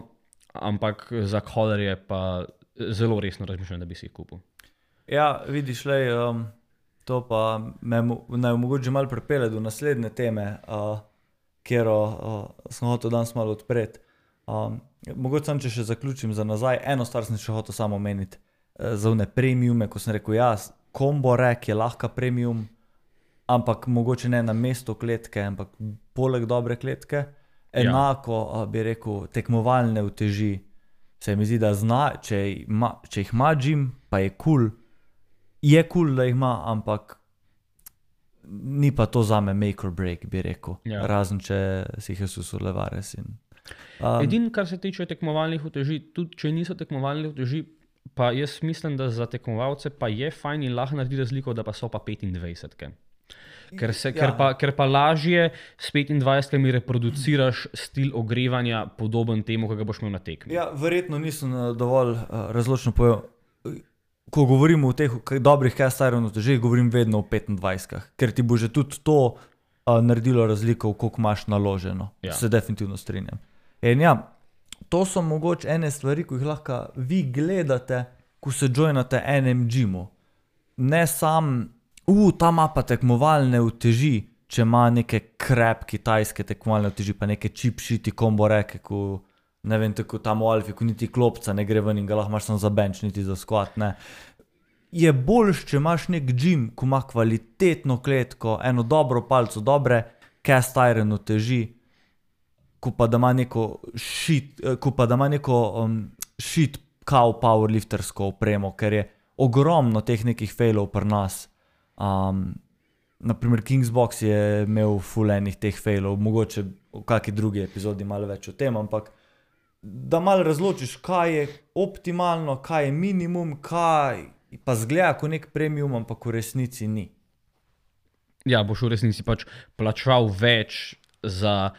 ampak za colorje pa zelo resno razmišljam, da bi si jih kupil. Ja, vidiš, to pa naj mogoče malo pripelje do naslednje teme, kjero sem hotel danes malo odpreti. Mogoče sam, če še zaključim za nazaj, eno stvar sem še hotel samo omeniti, za one premiume, ko sem rekel, ja, combo rack je lahko premium, ampak mogoče ne na mesto kletke, ampak poleg dobre kletke, enako bi rekel, tekmovalne uteži, se mi zdi, da če jih ima gym, pa je cool, da jih ima, ampak ni pa to zame make or break, bi rekel, razen če si Jesus Olivares in Edino, kar se tiče tekmovalnih uteži, tudi če niso tekmovalne uteži, pa jaz mislim, da za tekmovalce pa je fajn in lahko naredi razliko, da pa so pa 25-ke. Ker pa lažje s 25-kami reproduciraš stil ogrevanja podoben temu, ki ga boš imel na tekmi. Ja, verjetno nisem dovolj razločno povedal. ko govorimo o teh dobrih cast iron utežih, govorim vedno o 25-kah, ker ti bo že tudi to naredilo razliko, koliko imaš naloženo. Ja. Se definitivno strinjam. In ja, to so mogoče ene stvari, ko jih lahko vi gledate, ko se joinate enem gymu. Ne sam, ta ima pa tekmovalne uteži, če ima neke krep kitajske tekmovalne uteži, pa neke cheap shiti combo reke, ko ne vem, tako tam v Alfi, ko niti klopca ne gre ven in ga lahko imaš samo za bench, niti za squat, ne. Je boljš, če imaš nek gym, ko ima kvalitetno kletko, eno dobro palco, dobre cast iron uteži, ko pa da ima neko shit kao powerliftersko opremo, ker je ogromno teh nekih failov pri nas. Naprimer Kingsbox je imel full enih teh failov, mogoče v kakšni drugi epizodi malo več o tem, ampak da malo razločiš, kaj je optimalno, kaj je minimum, kaj pa zgleda kot nek premium, ampak v resnici ni. Ja, boš v resnici pač plačal več za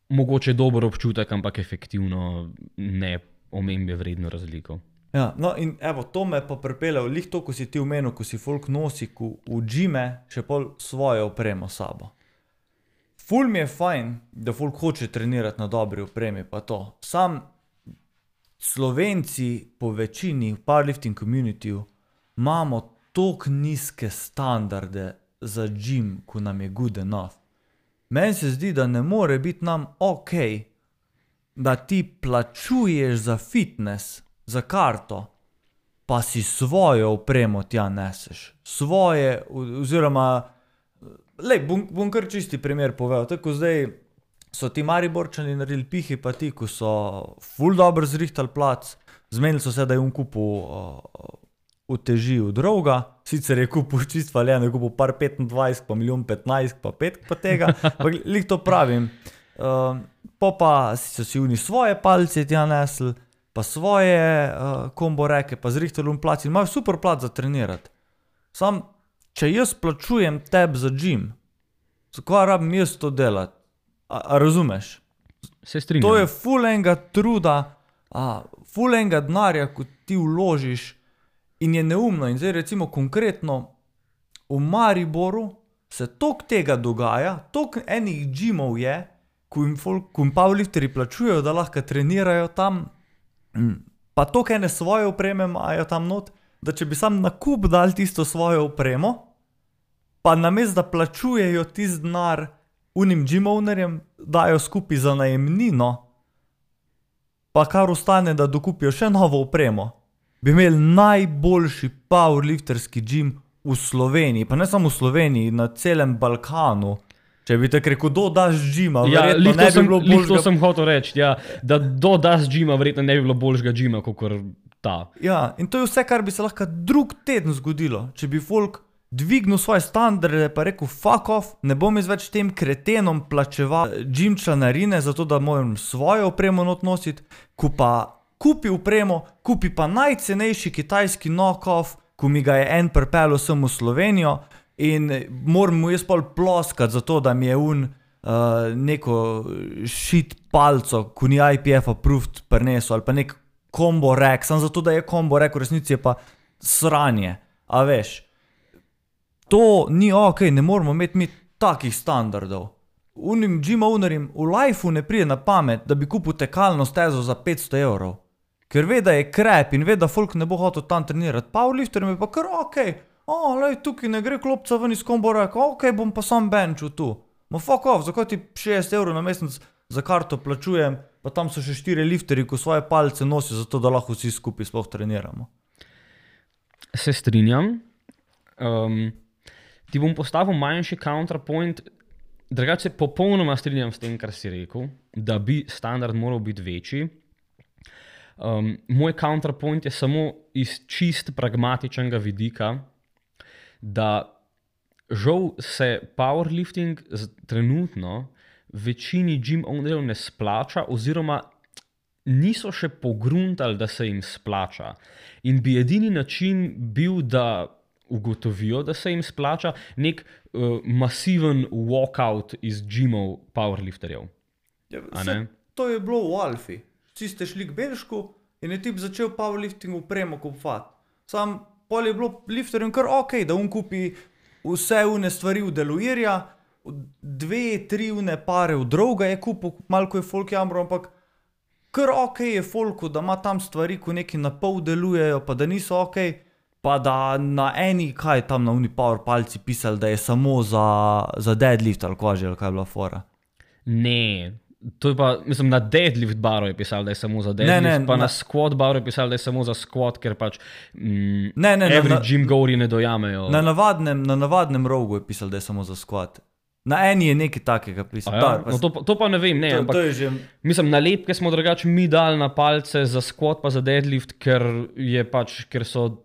mogoče dober občutek, ampak efektivno ne omembe vredno razliko. Ja, no in evo, to me pa pripeljal, lih to, ko si ti omenil, ko si folk nosi v gyme še pol svojo opremo sabo. Ful mi je fajn, da folk hoče trenirati na dobri opremi, pa to. Sam Slovenci po večini v powerlifting communityju imamo toliko nizke standarde za gym, ko nam je good enough. Meni se zdi, da ne more biti nam okej, da ti plačuješ za fitness, za karto, pa si svojo opremo tja neseš. Svoje, oziroma, bom kar čisti primer povedal. Tako zdaj so ti Mariborčani naredili pihi, pa ti, ko so ful dobro zrihtali plac, zmenili so se, da je kupil uteži od droga, sicer je kupil čist valjeno, je kupil par 25, pa milijon 15, pa 5 pa tega, pa lih to pravim. Pa so si oni svoje palce tja nesli, pa svoje kombo reke, pa zrihtali plac in imajo super plac za trenirati. Sam, če jaz plačujem tebi za gym, zakaj rabim jaz to delati? A razumeš? Se strinjam. To je ful enega truda, ful enega denarja, ko ti vložiš in je neumno. In zdaj recimo konkretno v Mariboru se toliko tega dogaja, toliko enih gymov je, ko jim powerlifteri plačujejo, da lahko trenirajo tam, pa toliko ene svoje opreme imajo tam not, da če bi sam na kup dali tisto svojo opremo, pa namesto da plačujejo tisti denar unim gym ownerjem, dajo skupaj za najemnino, pa kar ostane, da dokupijo še novo opremo, bi imeli najboljši powerlifterski gym v Sloveniji, pa ne samo v Sloveniji, na celem Balkanu. Če bi tako rekel, daš gyma, verjetno ne bi bilo boljšega. To sem hotel reči, ja, da daš gyma, verjetno ne bi bilo boljšega gyma, kakor ta. Ja, in to je vse, kar bi se lahko drug teden zgodilo, če bi folk dvignil svoje standarde, pa rekel, fuck off, ne bom jaz več tem kretenom plačeval gym članarine, zato da moram svojo opremo not nositi, ko pa kupi opremo, kupi pa najcenejši kitajski knock-off, ko mi ga je en pripeljal sem v Slovenijo, in moram mu jaz pol ploskati za to, da mi je neko shit palco, ko ni IPF approved prinesel, ali pa nek combo rack, samo zato, da je combo rack, v resnici je pa sranje. A veš, to ni okej, ne moramo imeti mi takih standardov. Unim gym ownerjem v lifeu ne pride na pamet, da bi kupil tekalno stezo za 500 evrov. Ker ve, da je krep in ve, da folk ne bo hotel tam trenirati. Powerlifterjem je pa kar okej. Tukaj ne gre klopca ven iz combo racka, okej, bom pa sam benčil tu. Ma fuck off, zakaj ti 60 evrov na mesec za karto plačujem, pa tam so še 4 lifterji, ko svoje palce nosijo, zato da lahko vsi skupaj sploh treniramo. Se strinjam. Ti bom postavil manjši counterpoint, drugače popolnoma strinjam s tem, kar si rekel, da bi standard moral biti večji. Moj counterpoint je samo iz čist pragmatičnega vidika, da žal se powerlifting trenutno večini gym ownerjev ne splača, oziroma niso še pogruntali, da se jim splača. In bi edini način bil, da ugotovijo, da se jim splača, nek masiven walkout iz gymov powerlifterjev. To je bilo v Alfi. Vsi ste šli k Belšku in je tip začel powerlifting opremo kupovati. Sam pol je bilo lifterjem kar ok, da on kupi vse une stvari v deluirja, 2-3 une pare v droga je kupil, malo ko je folk jamro, ampak kar ok je folku, da ima tam stvari, ko neki na pol delujejo, pa da niso ok, pa da na eni, kaj tam na uni power palci pisali, da je samo za deadlift ali kaj je bila fora. Ne, to je pa, mislim, na deadlift baru je pisal, da je samo za deadlift, pa na squat baru je pisal, da je samo za squat, ker pač every gym goeri ne dojamejo. Na navadnem rogu je pisal, da je samo za squat. Na eni je nekaj takega pisal. Ja? No, to pa ne vem, ne, ampak mislim, nalepke smo drugače mi dali na palce za squat pa za deadlift, ker so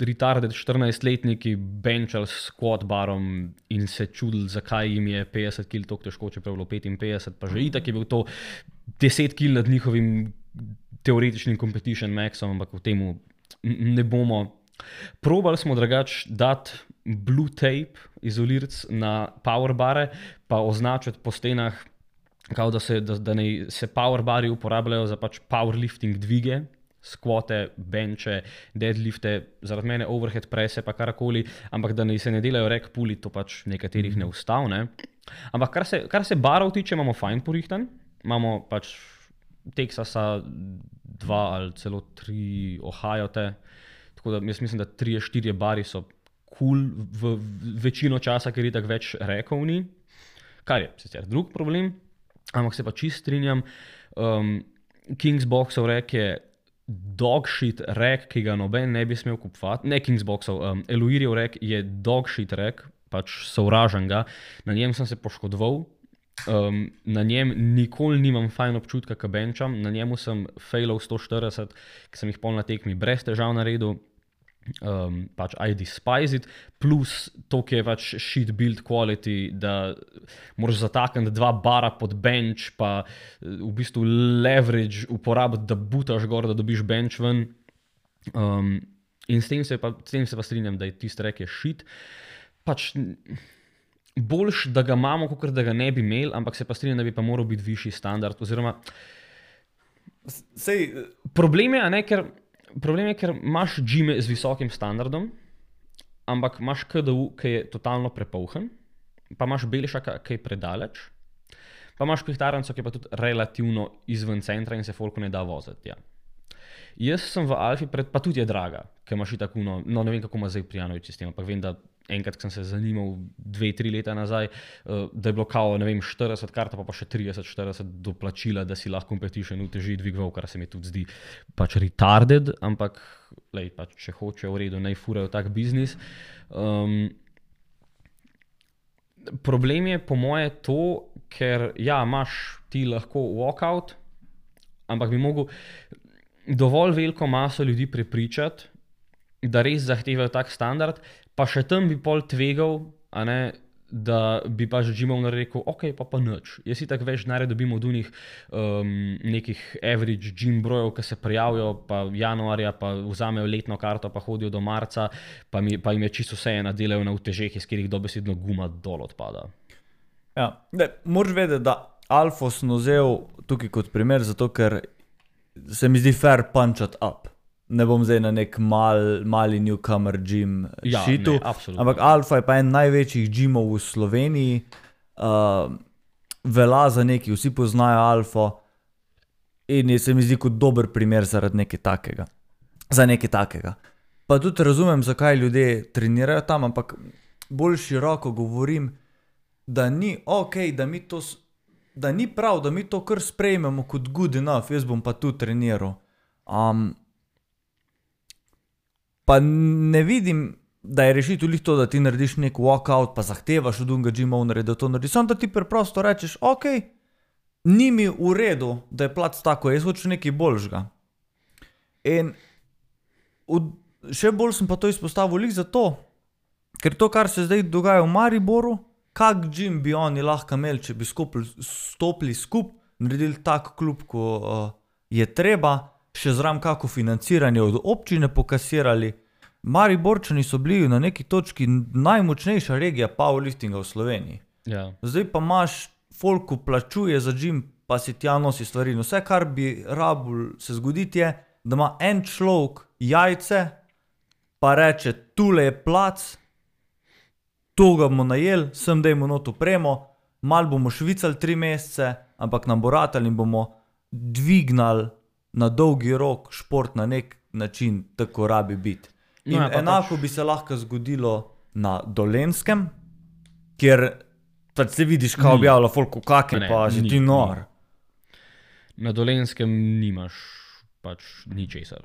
retarded 14-letniki benchali s squat barom in se čudili, zakaj jim je 50 kg toliko težko, čeprav bilo 55, pa že itak je bil to 10 kg nad njihovim teoretičnim competition maxom, ampak v temu ne bomo. Probali smo drugače dati blue tape, izolirc na power bare, pa označiti po stenah, kao da se power bari uporabljajo za pač powerlifting dvige, squate, benče, deadlifte, zaradi mene overhead presse pa karkoli, ampak da se ne delajo rack pulli, to pač nekaterih ne ustavne. Ampak kar se barov tiče, imamo fajn porihtan, imamo pač Texasa 2 ali celo 3 Ohio-te, tako da jaz mislim, da 3-4 bari so cool v večino časa, ker itak več rekov ni, kar je sicer drug problem, ampak se pa čist strinjam, Kingsboxov rek je dog shit rek, ki ga noben ne bi smel kupovati, ne Kingsboxov, Eluirjev rek je dog shit rek, pač sovražen ga, na njem sem se poškodoval, na njem nikoli nimam fajn občutka, ka benčam, na njemu sem failal 140, ki sem jih pol na tekmi brez težav naredil, pač I despise it, plus to, ki je pač shit build quality, da moraš zatakniti 2 bara pod bench, pa v bistvu leverage uporabiti, da butaš gor, da dobiš bench ven. In s tem se pa strinjam, da je tisti rek je shit. Pač boljš, da ga imamo, kakor da ga ne bi imeli, ampak se pa strinjam, da bi pa moral biti višji standard, oziroma problem je, ker imaš džime z visokim standardom, ampak imaš KDU, ki je totalno prepolhen, pa imaš Belšaka, ki je predaleč, pa imaš Pihtaranco, ki je pa tudi relativno izven centra in se folku ne da voziti. Ja. Jaz sem v Alfi, pa tudi je draga, ker imaš itak no ne vem, kako ima zdaj Prijanovič sistem, ampak vem, da enkrat, ko sem se zanimal 2-3 leta nazaj, da je bilo kao, ne vem, 40 karta, pa še 30-40 doplačila, da si lahko competition uteži dvigval, kar se mi tudi zdi pač retarded, ampak pač, če hoče v redu, naj furajo tak biznis. Problem je po moje to, ker ja, imaš ti lahko walkout, ampak bi mogel dovolj veliko maso ljudi prepričati, da res zahtevajo tak standard, pa še tam bi pol tvegal, da bi pač Jimov rekel, ok, pa nič. Jaz itak več denarja dobim od unih nekih average gym brojev, ki se prijavijo, pa januarja, pa vzamejo letno karto, pa hodijo do marca, pa jim je čisto vseeno, delajo na utežeh, iz katerih dobesedno guma dol odpada. Ja, moraš vedeti, da Alfo sem vzel tukaj kot primer, zato ker se mi zdi fair punch up. Ne bom zdaj na nek mali newcomer gym šitu, ampak Alfa je pa en največjih gymov v Sloveniji, velja za neki, vsi poznajo Alfo in se mi zdi kot dober primer zaradi nekaj takega. Za nekaj takega. Pa tudi razumem, zakaj ljudje trenirajo tam, ampak bolj široko govorim, da ni ok, da ni prav, da mi to kar sprejmemo kot good enough, jaz bom pa tu treniral. Pa ne vidim, da je rešitev lih to, da ti narediš nek walkout, pa zahtevaš od unga gym ownerja, da to naredi. Samo da ti preprosto rečeš, ok, ni mi v redu, da je plac tako, jaz hočem nekaj boljšega. In še bolj sem pa to izpostavil lih zato, ker to, kar se zdaj dogaja v Mariboru, kak gym bi oni lahko imeli, če bi stopili skup, naredili tak klub, ko je treba, še zraven kako financiranje od občine pokasirali. Mariborčani so bili na neki točki najmočnejša regija powerliftinga v Sloveniji. Ja. Zdaj pa imaš, folku plačuje za gym, pa si tja nosi stvari. No, vse, kar bi rabul se zgoditi je, da ima en človek jajce, pa reče, tule je plac, to ga bomo najeli, sem dajmo not opremo, malo bomo švicali 3 mesece, ampak nam bo ratali in bomo dvignali na dolgi rok šport na nek način, tako rabi biti. In enako bi se lahko zgodilo na Dolenjskem, kjer pač se vidiš, kao objavlja folku kake, pa že ti nor. Na Dolenjskem nimaš pač ničesar.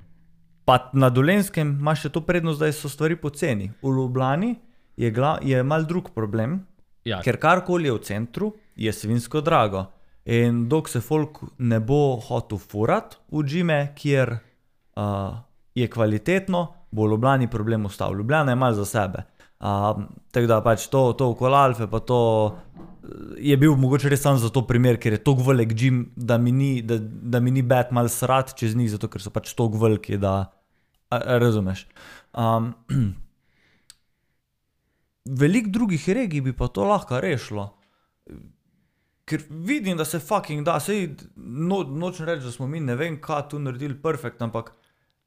Pa na Dolenjskem imaš še to prednost, da so stvari poceni. V Ljubljani je mal drug problem, ker karkoli je v centru, je svinsko drago. In dok se folk ne bo hotel furat v džime, kjer je kvalitetno, bo v Ljubljani problem ostal. Ljubljana je mal za sebe. Tako da pač to okoli Alfe, pa to je bil mogoče res sam za to primer, ker je toliko velik džim, da mi ni bad mal srat čez njih, zato ker so pač toliko veliki, da razumeš. Veliko drugih regij bi pa to lahko rešilo. Ker vidim, da se fucking da, sej nočem reči, da smo mi ne vem kaj tu naredili perfekt, ampak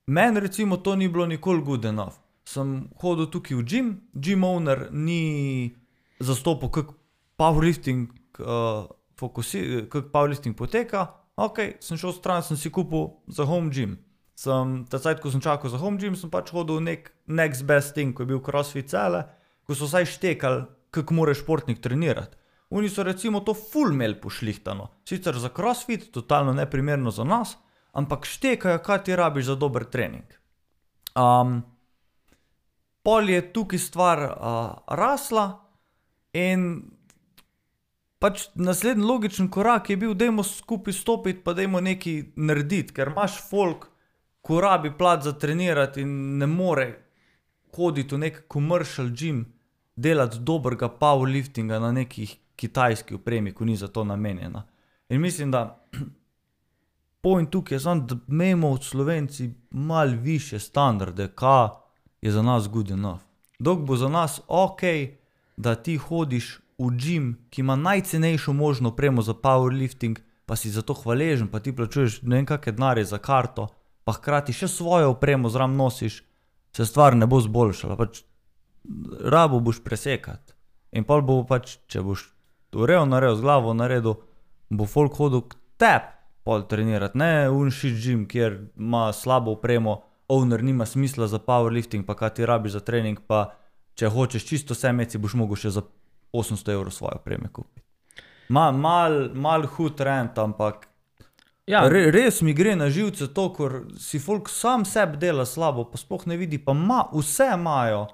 meni recimo to ni bilo nikoli good enough. Sem hodil tukaj v gym owner ni zastopil, kak powerlifting poteka, ok, sem šel stran, sem si kupil za home gym. Ta cajt, ko sem čakal za home gym, sem pač hodil nek next best thing, ko je bil CrossFit cele, ko so vsaj štekali, kak mora športnik trenirati. Oni so recimo to full imeli pošlihtano. Sicer za CrossFit, totalno neprimerno za nas, ampak štekajo, kaj ti rabiš za dober trening. Pol je tukaj stvar rasla in pač naslednji logičen korak je bil, dajmo skupaj stopiti, pa dajmo nekaj narediti, ker imaš folk, ko rabi plat za trenirati in ne more hoditi v nek commercial gym, delati dobrega powerliftinga na nekih kitajski opremi, ko ni za to namenjena. In mislim, da point tukaj je samo, da imamo od Slovenci malo više standarde, kaj je za nas good enough. Dok bo za nas ok, da ti hodiš v gym, ki ima najcenejšo možno opremo za powerlifting, pa si za to hvaležen, pa ti plačuješ ne vem kakšne denarje za karto, pa hkrati še svojo opremo zraven nosiš, se stvar ne bo zboljšala. Pač rabo boš presekati. In pol bo pač, če boš z glavo naredil, bo folk hodil k tebi pol trenirati, ne un shit gym, kjer ima slabo opremo, owner nima smisla za powerlifting, pa kaj ti rabiš za trening, pa če hočeš čisto vse imeti, boš mogel še za 800 € svoje opreme kupiti. Mal hud rent, ampak res mi gre na živce to, ker si folk sam sebi dela slabo, pa sploh ne vidi, pa vse imajo,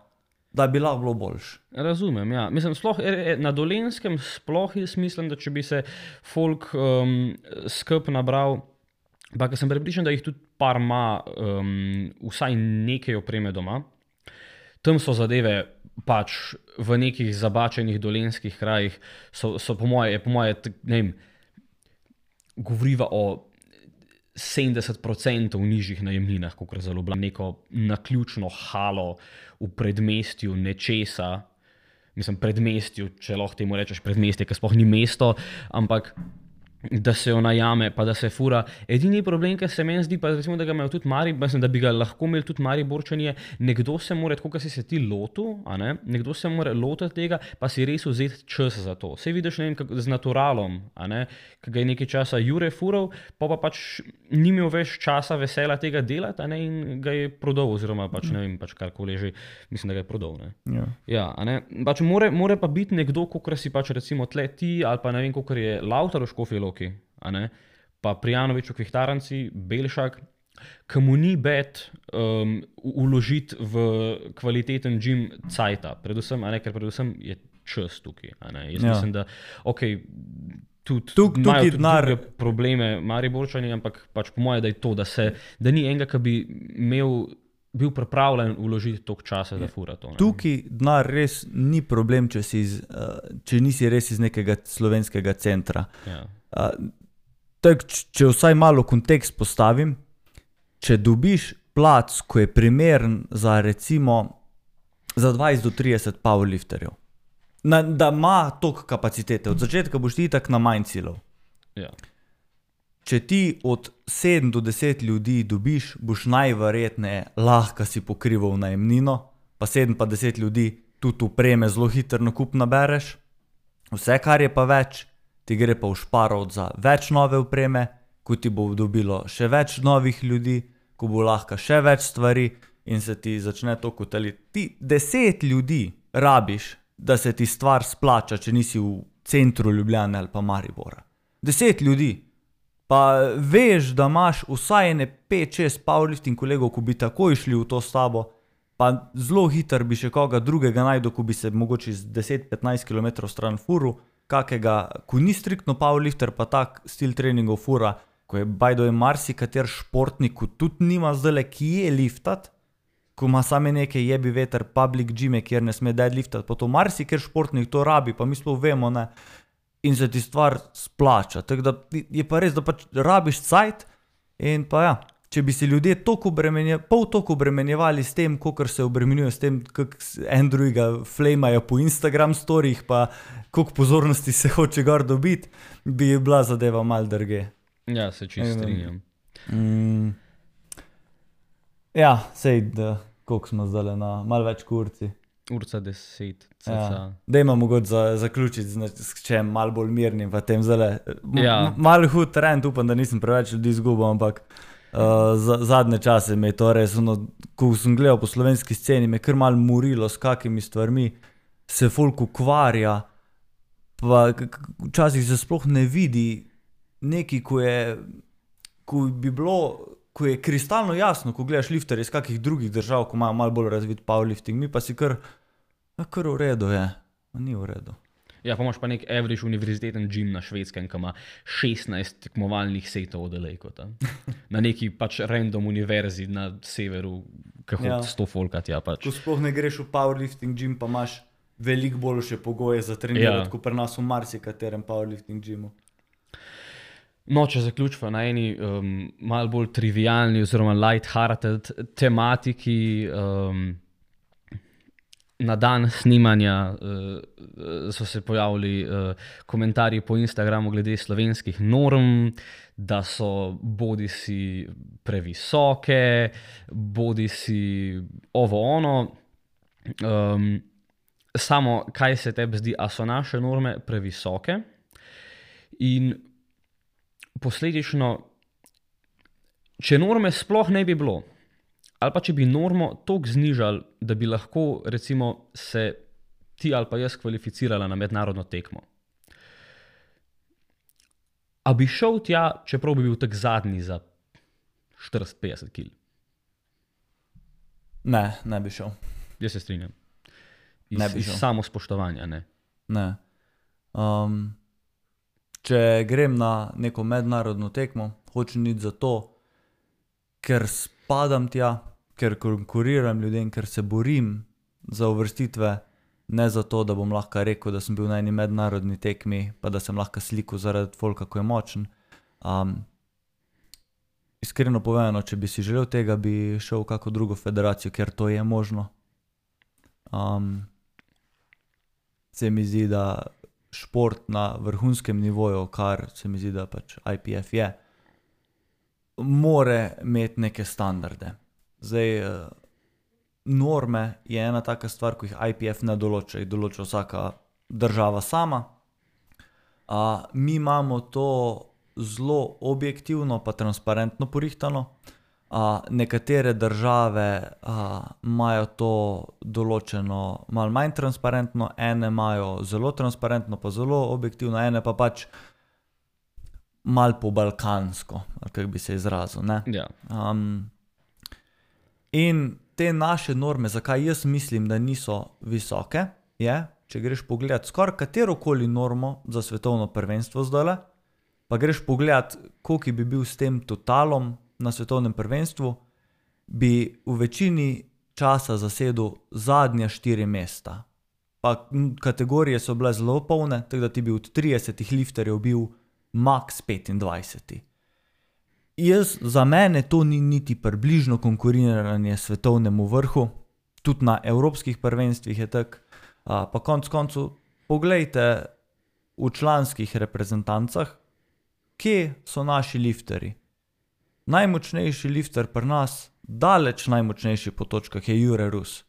da bi lahko bilo boljše. Razumem, ja. Mislim, sploh na Dolenjskem sploh jaz mislim, da če bi se folk skup nabral, pa ker sem prepričan, da jih tudi par ima vsaj nekaj opreme doma, tam so zadeve pač v nekih zabačenih dolenjskih krajih, so po moje, ne vem, govoriva o 70% v nižjih najemninah, kakor za Ljubljano, neko naključno halo v predmestju nečesa, mislim predmestju, če lahko temu rečeš predmestje, ker sploh ni mesto, ampak da se jo najame, pa da se fura. Edini problem, ki se meni zdi, pa recimo, da ga imajo tudi mislim, da bi ga lahko imeli tudi Mariborčani, je, nekdo se mora, tako kot si se ti lotil, nekdo se mora lotiti tega, pa si res vzeti čas za to. Sej vidiš, ne vem, z naturalom, ki ga je nekaj časa Jure fural, pa pač ni imel več časa vesela tega delati, in ga je prodal, oziroma pač ne vem, pač karkoli že, mislim, da ga je prodal. Pač more pa biti nekdo, kakor si pač recimo tle ti, ali pa ne vem, kakor je Lautar v Škofji Loki, pa Prijanovič v Kvihtaranci, Belšak, ki mu ni bed uložiti v kvaliteten gym cajta, predvsem, ker predvsem je čas tukaj. Jaz mislim, da tudi imajo tudi druge probleme Mariborčani, ampak pač po moje, da je to, da ni enega, ki bi bil pripravljen vložiti toliko časa, da fura to. Tukaj denar res ni problem, če nisi res iz nekega slovenskega centra. Če vsaj malo kontekst postavim, če dobiš plac, ko je primeren za recimo za 20 do 30 powerlifterjev, da ima toliko kapacitete, od začetka boš ti itak na manj cilov. če ti od 7 do 10 ljudi dobiš, boš najverjetneje lahko si pokrival najemnino, pa 7 pa 10 ljudi tudi upreme zelo hitro nakup nabereš. Vse, kar je pa več, ti gre pa v šparov za več nove upreme, ko ti bo dobilo še več novih ljudi, ko bo lahko še več stvari in se ti začne to kotaliti. Ti 10 ljudi rabiš, da se ti stvar splača, če nisi v centru Ljubljane ali pa Maribora. 10 ljudi. Pa veš, da imaš vsaj 5-6 powerlifting kolegov, ko bi takoj šli v to s tabo, pa zelo hitro bi še koga drugega najdel, ko bi se mogoče z 10-15 km stran furu, kakega, ko ni striktno powerlifter, pa tak stil treningov fura, ko je bajdo je marsikater športnik, ko tudi nima zdajle kje liftat, ko ima same neke jebi veter public gyme, kjer ne sme deadliftat, pa to marsikater športnik to rabi, pa mi sploh vemo, ne, in se ti stvar splača. Tako da je pa res, da pač rabiš cajt in pa ja, če bi se ljudje pol toliko obremenjevali s tem, kolikor se obremenjuje s tem, kak en drugega flamajo po Instagram storijih, pa koliko pozornosti se hoče gor dobiti, bi bila zadeva malo drge. Ja, se čisto strinjam. Ja, sej, koliko smo zdaj na malo več kurci. Urca 10. Ja. Dajmo mogoče zaključiti s čem malo bolj mirnim, pa tem zdaj Ja. malo hud trend, upam, da nisem preveč ljudi izgubil, ampak zadnje čase me je to res, ko sem gledal po slovenski sceni, me je kar malo morilo, s kakimi stvarmi se folk ukvarja, pa včasih se sploh ne vidi nekaj, ko bi bilo, ko je kristalno jasno, ko gledaš lifterje iz kakih drugih držav, ko imajo malo bolj razvit powerlifting, mi pa si kar v redu je, ni v redu. Ja, pa imaš pa nek average univerziteten gym na Švedskem, ki ima 16 tekmovalnih setov oddelejko tam. Na neki pač random univerzi na severu, ki hodi 100 folka tja pač. Ko sploh ne greš v powerlifting gym, pa imaš veliko boljše pogoje za trenirati, kot pri nas v marsikaterem powerlifting gymu. No, če zaključimo na eni malo bolj trivialni oziroma light-hearted tematiki, na dan snemanja so se pojavili komentarji po Instagramu glede slovenskih norm, da so bodisi previsoke, bodisi ovo ono. Samo, kaj se tebi zdi, a so naše norme previsoke? In posledično, če norme sploh ne bi bilo, ali pa če bi normo toliko znižali, da bi lahko recimo se ti ali pa jaz kvalificirala na mednarodno tekmo. A bi šel tja, čeprav bi bil tak zadnji za 40-50 kil? Ne bi šel. Jaz se strinjam. Ne bi šel. Iz samospoštovanja, ne. Ne. Če grem na neko mednarodno tekmo, hočem iti zato, ker spadam tja, ker konkuriram ljudem, ker se borim za uvrstitve, ne zato, da bom lahko rekel, da sem bil na eni mednarodni tekmi, pa da sem lahko slikal zaradi folka, ko je močen. Iskreno povedano, če bi si želel tega, bi šel v kako drugo federacijo, ker to je možno. Se mi zdi, da šport na vrhunskem nivoju, kar se mi zdi, da pač IPF je, more imeti neke standarde. Zdaj, norme je ena taka stvar, ko jih IPF ne določa, jih določa vsaka država sama. Mi imamo to zelo objektivno pa transparentno porihtano. Nekatere države imajo to določeno malo manj transparentno, ene imajo zelo transparentno pa zelo objektivno, ene pa pač malo po balkansko, ali kako bi se izrazil, ne? Ja. In te naše norme, zakaj jaz mislim, da niso visoke, je, če greš pogledat skoraj katerokoli normo za svetovno prvenstvo zdajle, pa greš pogledat, koliko bi bil s tem totalom na svetovnem prvenstvu, bi v večini časa zasedel zadnja 4 mesta. Pa kategorije so bile zelo polne, tako da ti bi od 30 lifterjev bil max 25. Za mene to ni niti približno konkuriranje svetovnemu vrhu, tudi na evropskih prvenstvih je tako. Pa koncu, poglejte v članskih reprezentancah, kje so naši lifterji. Najmočnejši lifter pri nas, daleč najmočnejši po točkah je Jure Rus.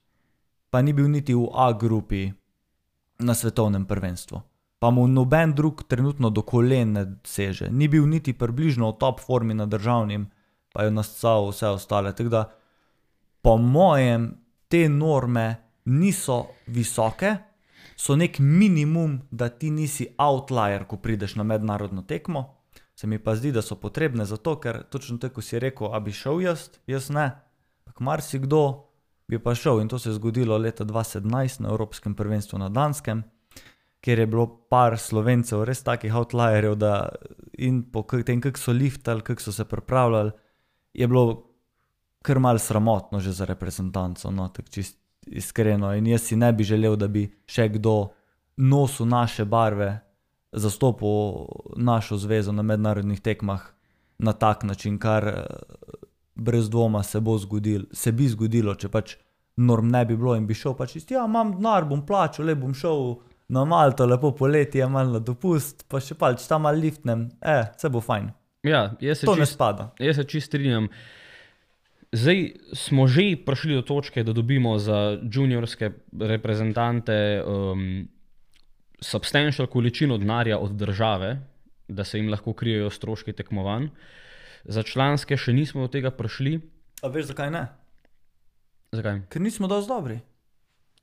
Pa ni bil niti v A grupi na svetovnem prvenstvu. Pa mu noben drug trenutno do kolen ne seže. Ni bil niti približno v top formi na državnim, pa je nascal vse ostale. Tako da, po mojem, te norme niso visoke, so nek minimum, da ti nisi outlier, ko prideš na mednarodno tekmo. Se mi pa zdi, da so potrebne zato, ker točno tako si rekel, a bi šel jaz ne. Pak marsikdo bi pa šel in to se je zgodilo leta 2017 na Evropskem prvenstvu na Danskem, kjer je bilo par Slovencev res takih outlierjev, da in po tem, kako so liftali, kako so se pripravljali, je bilo kar malo sramotno že za reprezentanco, no, tako čist iskreno. In jaz si ne bi želel, da bi še kdo nosil naše barve, zastopil našo zvezo na mednarodnih tekmah na tak način, kar brez dvoma se bi zgodilo, če pač norm ne bi bilo in bi šel pač ja, imam denar, bom plačal, bom šel na Malto, lepo poletje, malo na dopust, pa še pač tam malo liftnem, vse bo fajn. Ja, to ne spada. Jaz se čist strinjam. Zdaj smo že prišli do točke, da dobimo za juniorske reprezentante substantial količino denarja od države, da se jim lahko krijejo stroški tekmovanj. Za članske še nismo do tega prišli. A veš, zakaj ne? Zakaj? Ker nismo dosti dobri.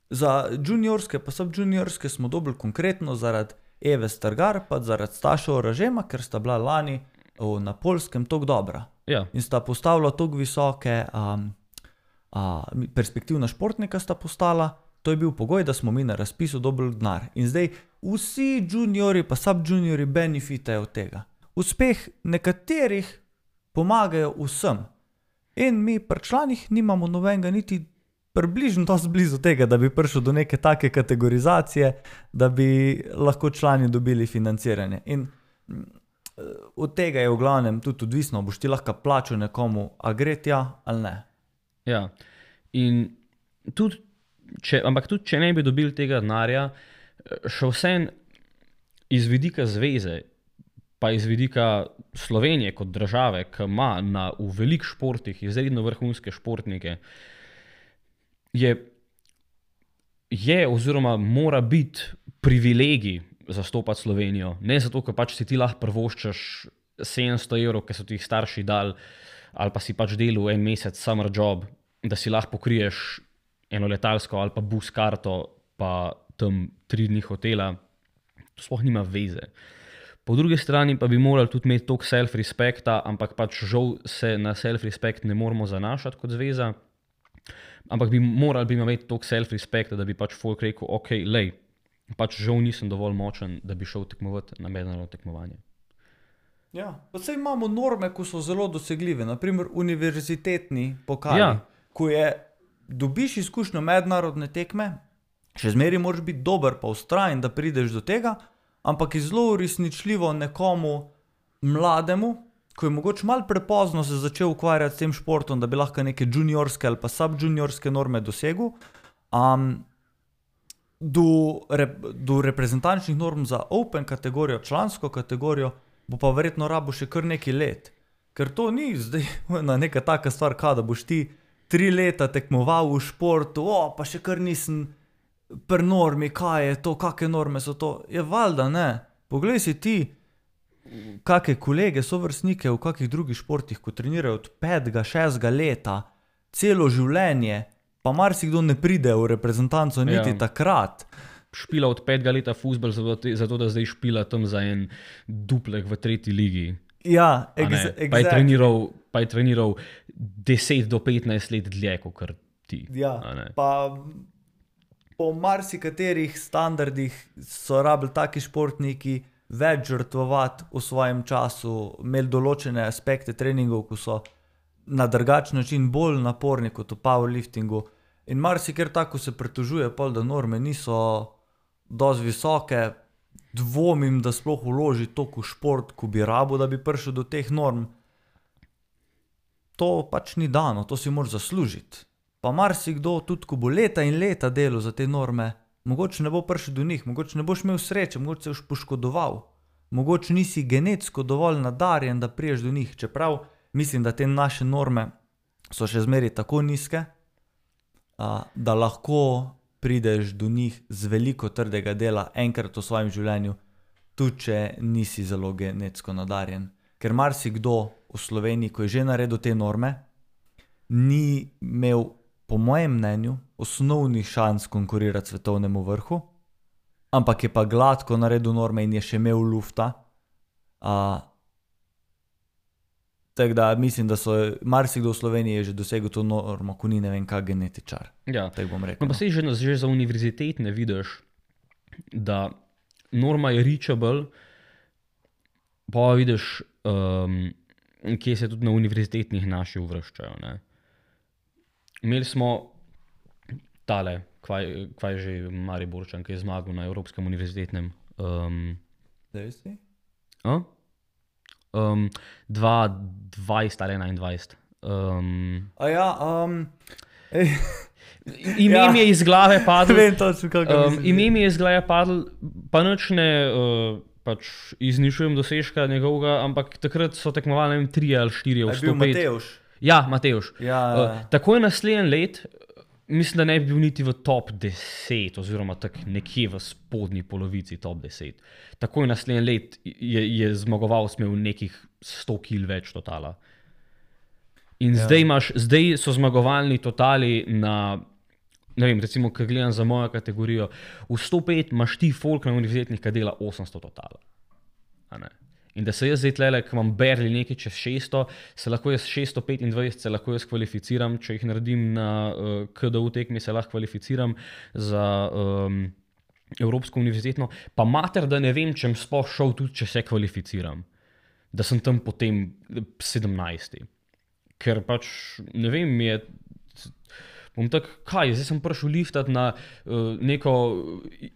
Za juniorske pa subjuniorske smo dobili konkretno zaradi Eve Stargar pa zaradi Staša Oražema, ker sta bila lani na Poljskem toliko dobra. Ja. In sta postavila toliko visoke perspektivna športnika sta postala. To je bil pogoj, da smo mi na razpisu dobili denar. In zdaj vsi juniori pa subjuniori benefitajo od tega. Uspeh nekaterih pomagajo vsem. In mi pri članih nimamo nobenega niti približno dosti blizu tega, da bi prišel do neke take kategorizacije, da bi lahko člani dobili financiranje. In od tega je v glavnem tudi odvisno, boš ti lahko plačal nekomu, a gre tja ali ne. Ja, in tudi če ne bi dobili tega denarja, še vsem iz vidika zveze, pa iz vidika Slovenije kot države, ki ima v velikih športih izredno vrhunske športnike, je oziroma mora biti privilegij zastopati Slovenijo. Ne zato, ker pač si ti lahko privoščiš 700 €, ki so ti jih starši dali, ali pa si pač delal en mesec summer job, da si lahko pokriješ eno letalsko ali pa bus karto, pa tam 3 dni hotela. To sploh nima veze. Po drugi strani pa bi morali tudi imeti toliko self-respekta, ampak pač žal se na self-respekt ne moramo zanašati kot zveza, ampak bi morali imeti toliko self-respekta, da bi pač folk rekel, ok, lej, pač žal nisem dovolj močen, da bi šel tekmovati na mednarodno tekmovanje. Ja, pa saj imamo norme, ko so zelo dosegljive, naprimer univerzitetni pokali, Ja. ko dobiš izkušnjo mednarodne tekme, še zmeraj moraš biti dober pa vztrajen, da prideš do tega, ampak je zelo uresničljivo nekomu mlademu, ko je mogoče malo prepozno se začel ukvarjati s tem športom, da bi lahko neke juniorske ali pa subjuniorske norme dosegel, do reprezentančnih norm za open kategorijo, člansko kategorijo, bo pa verjetno rabo še kar nekaj let. Ker to ni zdaj neka taka stvar, da boš ti 3 leta tekmoval v športu, pa še kar nisem pri normi, kaj je to, kakšne norme so to. Je valjda ne. Poglej si ti, kakšne kolege, sovrstnike v kakih drugih športih, ko trenirajo od 5., 6. leta, celo življenje, pa marsikdo ne pride v reprezentanco niti takrat. Špila od 5. leta fuzbal, zato da zdaj špila tam za en duplek v 3. ligi. Ja, Pa je treniral 10 do 15 let dlje, kot ti. Ja, pa po marsikaterih standardih so rabili taki športniki več žrtvovati v svojem času, imeli določene aspekte treningov, ko so na drugačen način bolj naporni kot v powerliftingu. In marsikjer tako se pritožuje, da norme niso dosti visoke, dvomim, da sploh vloži toliko v šport, ko bi rabo, da bi prišel do teh norm. To pač ni dano, to si moraš zaslužiti. Pa marsikdo, tudi ko bo leta in leta delal za te norme, mogoče ne bo prišel do njih, mogoče ne boš imel sreče, mogoče se boš poškodoval. mogoče nisi genetsko dovolj nadarjen, da priješ do njih, čeprav mislim, da te naše norme so še zmeraj tako nizke, da lahko prideš do njih z veliko trdega dela enkrat v svojem življenju, tudi če nisi zelo genetsko nadarjen. Ker marsikdo v Sloveniji, ko je že naredil te norme, ni imel, po mojem mnenju, osnovnih šans konkurirati svetovnemu vrhu, ampak je pa gladko naredil norme in je še imel lufta. Tako da mislim, da so marsikdo v Sloveniji je že dosegel to normo, ko ni ne vem kak genetičar. Ja. Tako bom rekel. No, pa sej že za univerzitetne vidiš, da norma je reachable, pa vidiš, kje se tudi na univerzitetnih naši uvrščajo. Ne? Imeli smo tale, kvaj že Mariborčan, ki je zmagal na Evropskem univerzitetnem. 2020 ali 2021. Ime mi je iz glave padlo. Vem točno, kako misliš. Ime mi je iz glave padlo, pa nič ne pač izničujem dosežka njegovega, ampak takrat so tekmovali 3 ali 4 v 105. Je bil Matevž? Ja, Matevž. Ja. Takoj naslednji let, mislim, da ne bi bil niti v top 10, oziroma tak nekje v spodnji polovici top 10. Takoj naslednji let je zmagoval, smel nekih 100 kil več totala. In zdaj so zmagovalni totali na, ne vem, recimo, ko gledam za mojo kategorijo, v 105 imaš ti folk na univerzitetnih, ki dela 800 totala. In da se jaz zdaj tlele, ko imam barely nekaj čez 600, se lahko jaz 625, se lahko jaz kvalificiram, če jih naredim na KDU tekmi, se lahko kvalificiram za Evropsko univerzitetno, pa mater, da ne vem, če sem sploh šel tudi, če se kvalificiram. Da sem tam potem 17. Ker pač, ne vem, bom tako, zdaj sem prišel liftati na neko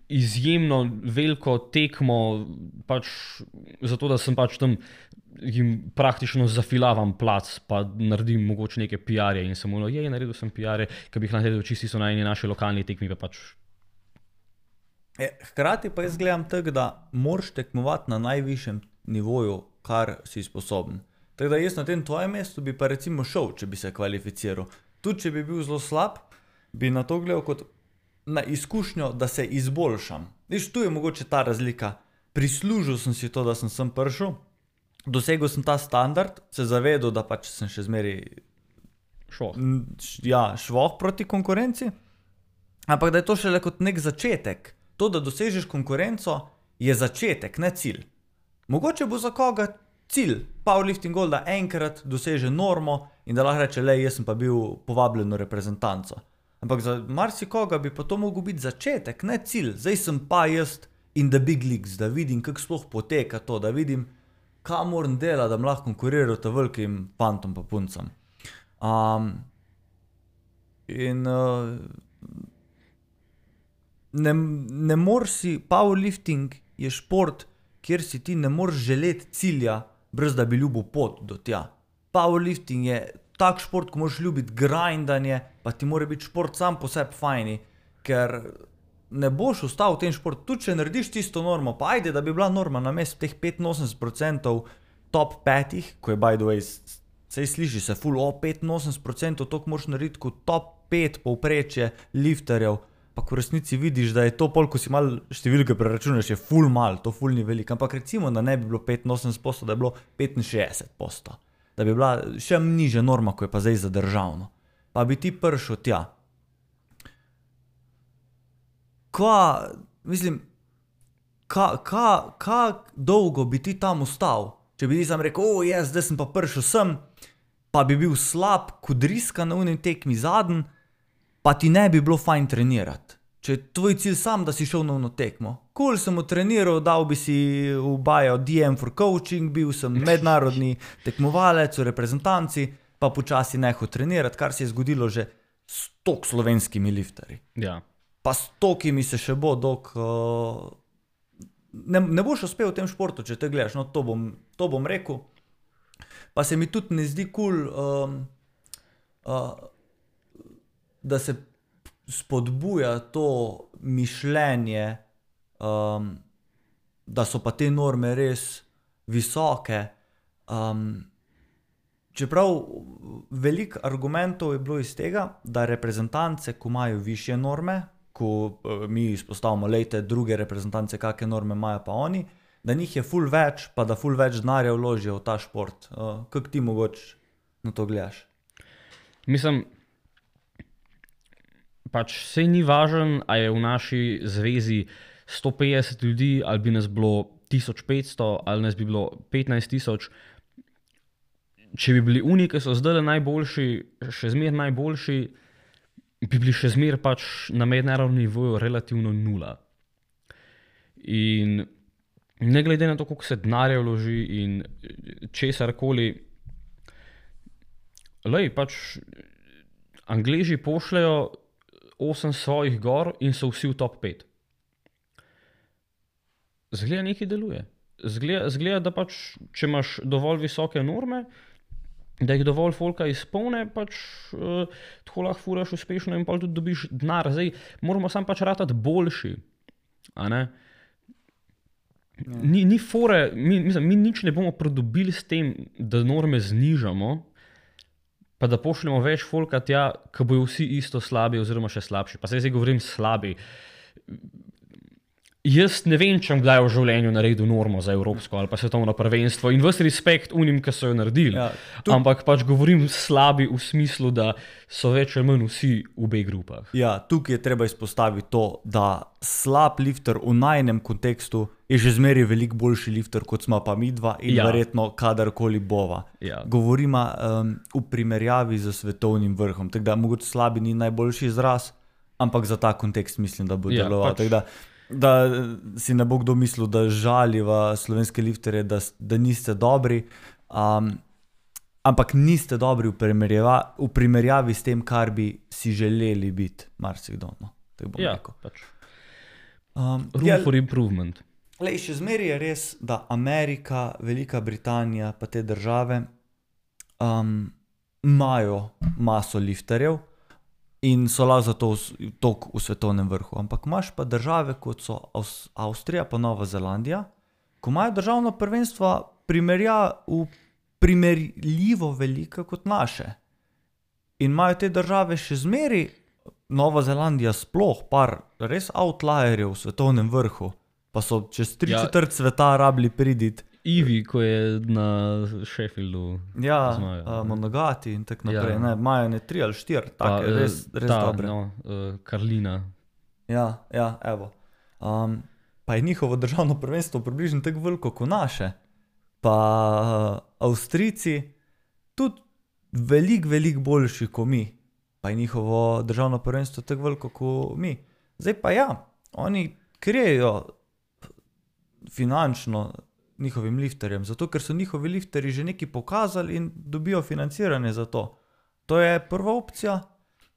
izjemno veliko tekmo, pač zato, da sem pač tam jim praktično zafilavam plac, pa naredim mogoče neke PR-je in sem naredil sem PR-je, ki bi jih naredil čisti so na eni naši lokalni tekmi, pa pač. Hkrati pa jaz gledam tako, da moraš tekmovati na najvišjem nivoju, kar si sposoben. Tako da jaz na tem tvojem mestu bi pa recimo šel, če bi se kvalificiral. Tudi če bi bil zelo slab, bi na to gledal kot na izkušnjo, da se izboljšam. Viš, tu je mogoče ta razlika. Prislužil sem si to, da sem prišel, dosegel sem ta standard, se zavedel, da pač sem še zmeraj švoh proti konkurenci, ampak da je to šele kot nek začetek. To, da dosežeš konkurenco, je začetek, ne cilj. Mogoče bo za koga cilj powerlifting goal, da enkrat doseže normo in da lahko reče, jaz sem pa bil povabljen v reprezentanco. Ampak za marsikoga bi pa to mogel biti začetek, ne cilj. Zdaj sem pa jaz in the big leagues, da vidim, kako sploh poteka to, da vidim, kaj moram delati, da bom lahko konkuriral ta velikim fantom pa puncam. Ne moreš si, powerlifting je šport, kjer si ti ne moreš želeti cilja, brez da bi ljubil pot do tja. Powerlifting je tak šport, ko moraš ljubiti grindanje, pa ti mora biti šport sam po sebi fajni, ker ne boš ostal v tem športu. Tudi če narediš tisto normo, pa ajde, da bi bila norma namesto teh 85% top 5, ko je by the way, sej sliši se ful, 85% toliko moraš narediti kot top 5 povprečje lifterjev, pa ko v resnici vidiš, da je to pol, ko si malo številke preračunaš, je ful mal, to ful ni veliko. Ampak recimo, da ne bi bilo 85%, da je bilo 65%. Da bi bila še nižja norma, ko je pa zdaj za državno. Pa bi ti prišel tja. Kaj dolgo bi ti tam ostal? Če bi ti sam rekel, zdaj sem pa prišel sem, pa bi bil slab, kot driska na unem tekmi zadnji, pa ti ne bi bilo fajn trenirati. Če je tvoj cilj sam, da si šel na uno tekmo. Cool, sem treniral, dal bi si v bio DM for coaching, bil sem mednarodni tekmovalec v reprezentanci, pa počasi nehal trenirati, kar se je zgodilo že s tok slovenskimi lifterji. Ja. Pa s tokimi se še bo, dok ne boš uspel v tem športu, če te gledaš, no to bom rekel. Pa se mi tudi ne zdi cool, da se spodbuja to mišljenje, da so pa te norme res visoke. Čeprav veliko argumentov je bilo iz tega, da reprezentance, ko imajo višje norme, ko mi izpostavimo, lejte, druge reprezentance, kakšne norme imajo pa oni, da njih je ful več, pa da ful več denarja vložijo v ta šport. Kako ti mogoče na to gledaš? Mislim, pač sej ni važen, a je v naši zvezi 150 ljudi, ali bi nas bilo 1500, ali nas bi bilo 15 000. Če bi bili oni, ki so zdaj najboljši, še zmer najboljši, bi bili še zmer pač na mednarodnem nivoju relativno nula. In ne glede na to, koliko se denarja vloži in česarkoli, pač Angleži pošljajo 8 svojih gor in so vsi v top 5. Zgleda nekaj deluje. Zgleda, da pač, če imaš dovolj visoke norme, da jih dovolj folka izpolne, pač tako lahko furaš uspešno in pa tudi dobiš denar. Zdaj moramo samo pač ratati boljši. A ne? Ni fore, mi nič ne bomo pridobili s tem, da norme znižamo, pa da pošljemo več folka tja, ko bojo vsi isto slabi oziroma še slabši. Pa zdaj govorim slabi. Jaz ne vem, če kdaj v življenju naredil normo za evropsko ali pa svetovno prvenstvo in ves respekt unim, ki so jo naredili. Ja, ampak pač govorim slabi v smislu, da so več ali manj vsi v B grupah. Ja, tukaj je treba izpostaviti to, da slab lifter v najnem kontekstu je že zmeraj veliko boljši lifter, kot smo pa mi dva in verjetno kadarkoli bova. Ja. Govorimo v primerjavi z svetovnim vrhom, tako da mogoče slabi ni najboljši izraz, ampak za ta kontekst mislim, da bo deloval. Da si ne bo kdo mislil, da žaliva slovenske lifterje, da niste dobri, ampak niste dobri v primerjavi s tem, kar bi si želeli biti, marsikdo. No, pač. Room for improvement. Še zmeraj je res, da Amerika, Velika Britanija pa te države imajo maso lifterjev in so lahko zato toliko v svetovnem vrhu. Ampak imaš pa države, kot so Avstrija pa Nova Zelandija, ko imajo državno prvenstvo primerljivo velika kot naše. In imajo te države še zmeri, Nova Zelandija sploh, par res outlierjev v svetovnem vrhu, pa so čez 3/4 sveta rabili priditi. Ivi, ko je na Sheffieldu. Ja, Monogati in tako naprej. Ja. Imajo ne 3 ali 4, take res dobre. Karlina. Ja, evo. Pa je njihovo državno prvenstvo približno tako veliko kot naše. Pa Avstrijci tudi veliko boljši kot mi. Pa je njihovo državno prvenstvo tako veliko kot mi. Zdaj pa ja, oni krijejo finančno njihovim lifterjem, zato ker so njihovi lifterji že nekaj pokazali in dobijo financiranje za to. To je prva opcija.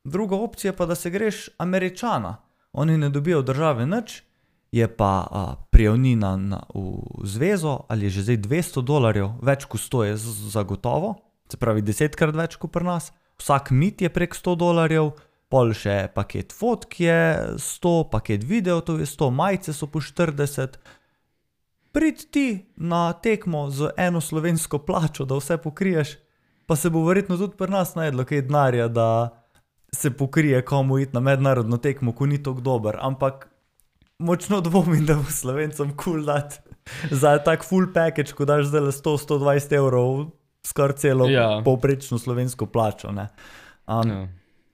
Druga opcija pa, da se greš Američana. Oni ne dobijo države nič, je pa prijavnina v zvezo, ali je že zdaj $200, več kot 100 je zagotovo, se pravi 10-krat več kot pri nas. Vsak mit je prek $100, pol še paket fotk je 100, paket video to je 100, majice so po 40. Prid ti na tekmo z eno slovensko plačo, da vse pokriješ, pa se bo verjetno tudi pri nas najdlo kaj denarja, da se pokrije komu iti na mednarodno tekmo, ko ni tako dober, ampak močno dvomim, da bo Slovencem cool dati za tak full package, ko daš zdaj 100-120 evrov skoraj celo povprečno slovensko plačo.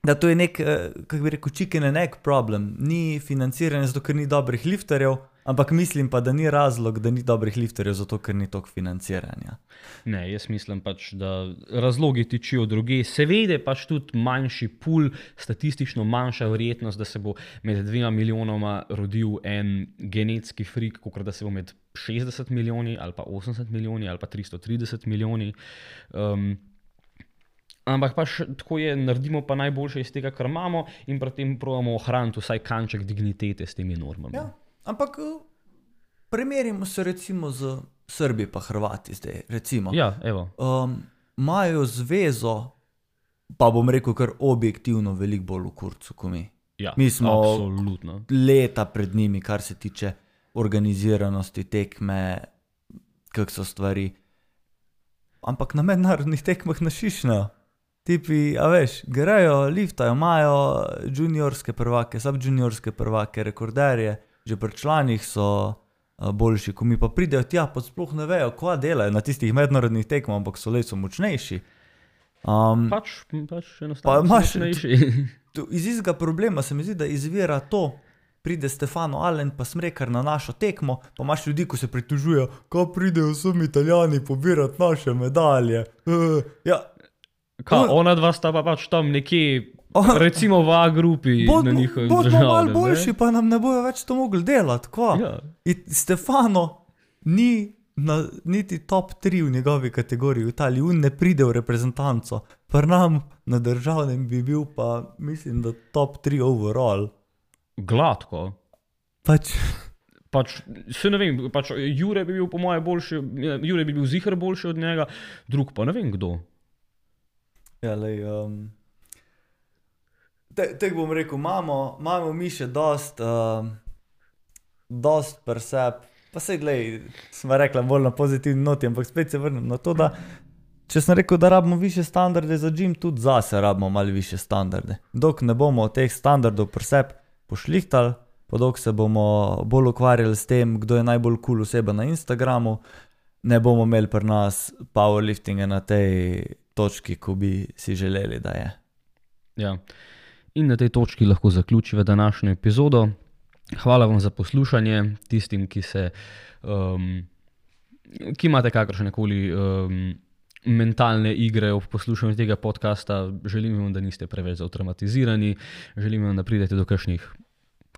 Da to je nek, kako bi rekel, chicken and egg problem. Ni financiranje zato, ker ni dobrih lifterjev, ampak mislim pa, da ni razlog, da ni dobrih lifterjev zato, ker ni toliko financiranja. Ne, jaz mislim pač, da razlogi tičijo druge. Seveda pač tudi manjši pool, statistično manjša verjetnost, da se bo med 2 milijonoma rodil en genetski frik, kot da se bo med 60 milijoni ali pa 80 milijoni ali pa 330 milijoni. Ampak pač tako je, naredimo pa najboljše iz tega, kar imamo in pri tem probamo ohraniti vsaj kanček dignitete s temi normami. Ja, ampak primerimo se recimo z Srbi pa Hrvati zdaj, recimo. Ja, evo. Imajo zvezo, pa bom rekel kar objektivno veliko bolj v kurcu kot mi. Ja, mi smo absolutno leta pred njimi, kar se tiče organiziranosti tekme, kak so stvari. Ampak na mednarodnih tekmah ne šišnejo. Tipi, a veš, grejo, liftajo, imajo juniorske prvake, subjuniorske prvake, rekorderje, že pri članih so boljši, ko mi pa pridejo tja, pa sploh ne vejo, kva delajo na tistih mednarodnih tekmah, ampak so močnejši. Pač enostavno močnejši. Iz istega problema se mi zdi, da izvira to, pride Stefano Allen pa Smrekar na našo tekmo, pa imaš ljudi, ko se pritožujejo, ko pridejo sem Italijani pobirati naše medalje. Ja. Ona dva sta pa pač tam nekje, recimo v A-grupi na njihovim državnem. Bodimo malo boljši, pa nam ne bojo več to mogli delati, kva? Ja. Stefano ni niti top 3 v njegovi kategoriji v Italiji, on ne pride v reprezentanco. Pri nam na državnem bi bil pa, mislim, da top 3 overall. Gladko. Pač, se ne vem, Jure bi bil po moje boljši, Jure bi bil ziher boljši od njega, drug pa ne vem kdo. ja, lej, tek bom rekel, imamo mi še dost presep, pa sej, glej, smo rekla bolj na pozitivni noti, ampak spet se vrnem na to, da če sem rekel, da rabimo više standarde za gym, tudi zase rabimo malo više standarde. Dok ne bomo teh standardov presep pošlihtali, pa dok se bomo bolj ukvarjali s tem, kdo je najbolj cool oseba na Instagramu, ne bomo imeli pri nas powerliftinga na tej točki, ko bi si želeli, da je. Ja. In na tej točki lahko zaključiva današnjo epizodo. Hvala vam za poslušanje, tistim, ki imate kakršnekoli mentalne igre ob poslušanju tega podcasta. Želim vam, da niste preveč zautomatizirani, želim vam, da pridete do kakšnih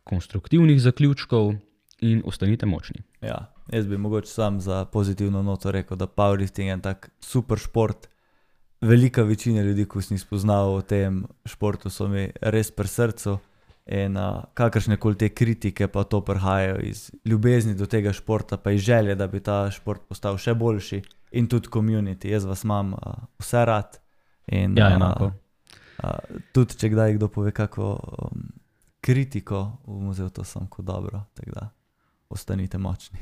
konstruktivnih zaključkov in ostanite močni. Ja, jaz bi mogoče sam za pozitivno noto rekel, da powerlifting je tak super šport. Velika večina ljudi, ko sem spoznal o tem športu, so mi res pri srcu in kakršnekoli te kritike pa to prihajajo iz ljubezni do tega športa, pa iz želje, da bi ta šport postal še boljši in tudi community. Jaz vas imam vse rad in ja, enako. Tudi če kdaj kdo pove kako kritiko, bom vzel to samo kot dobro, tako da ostanite močni.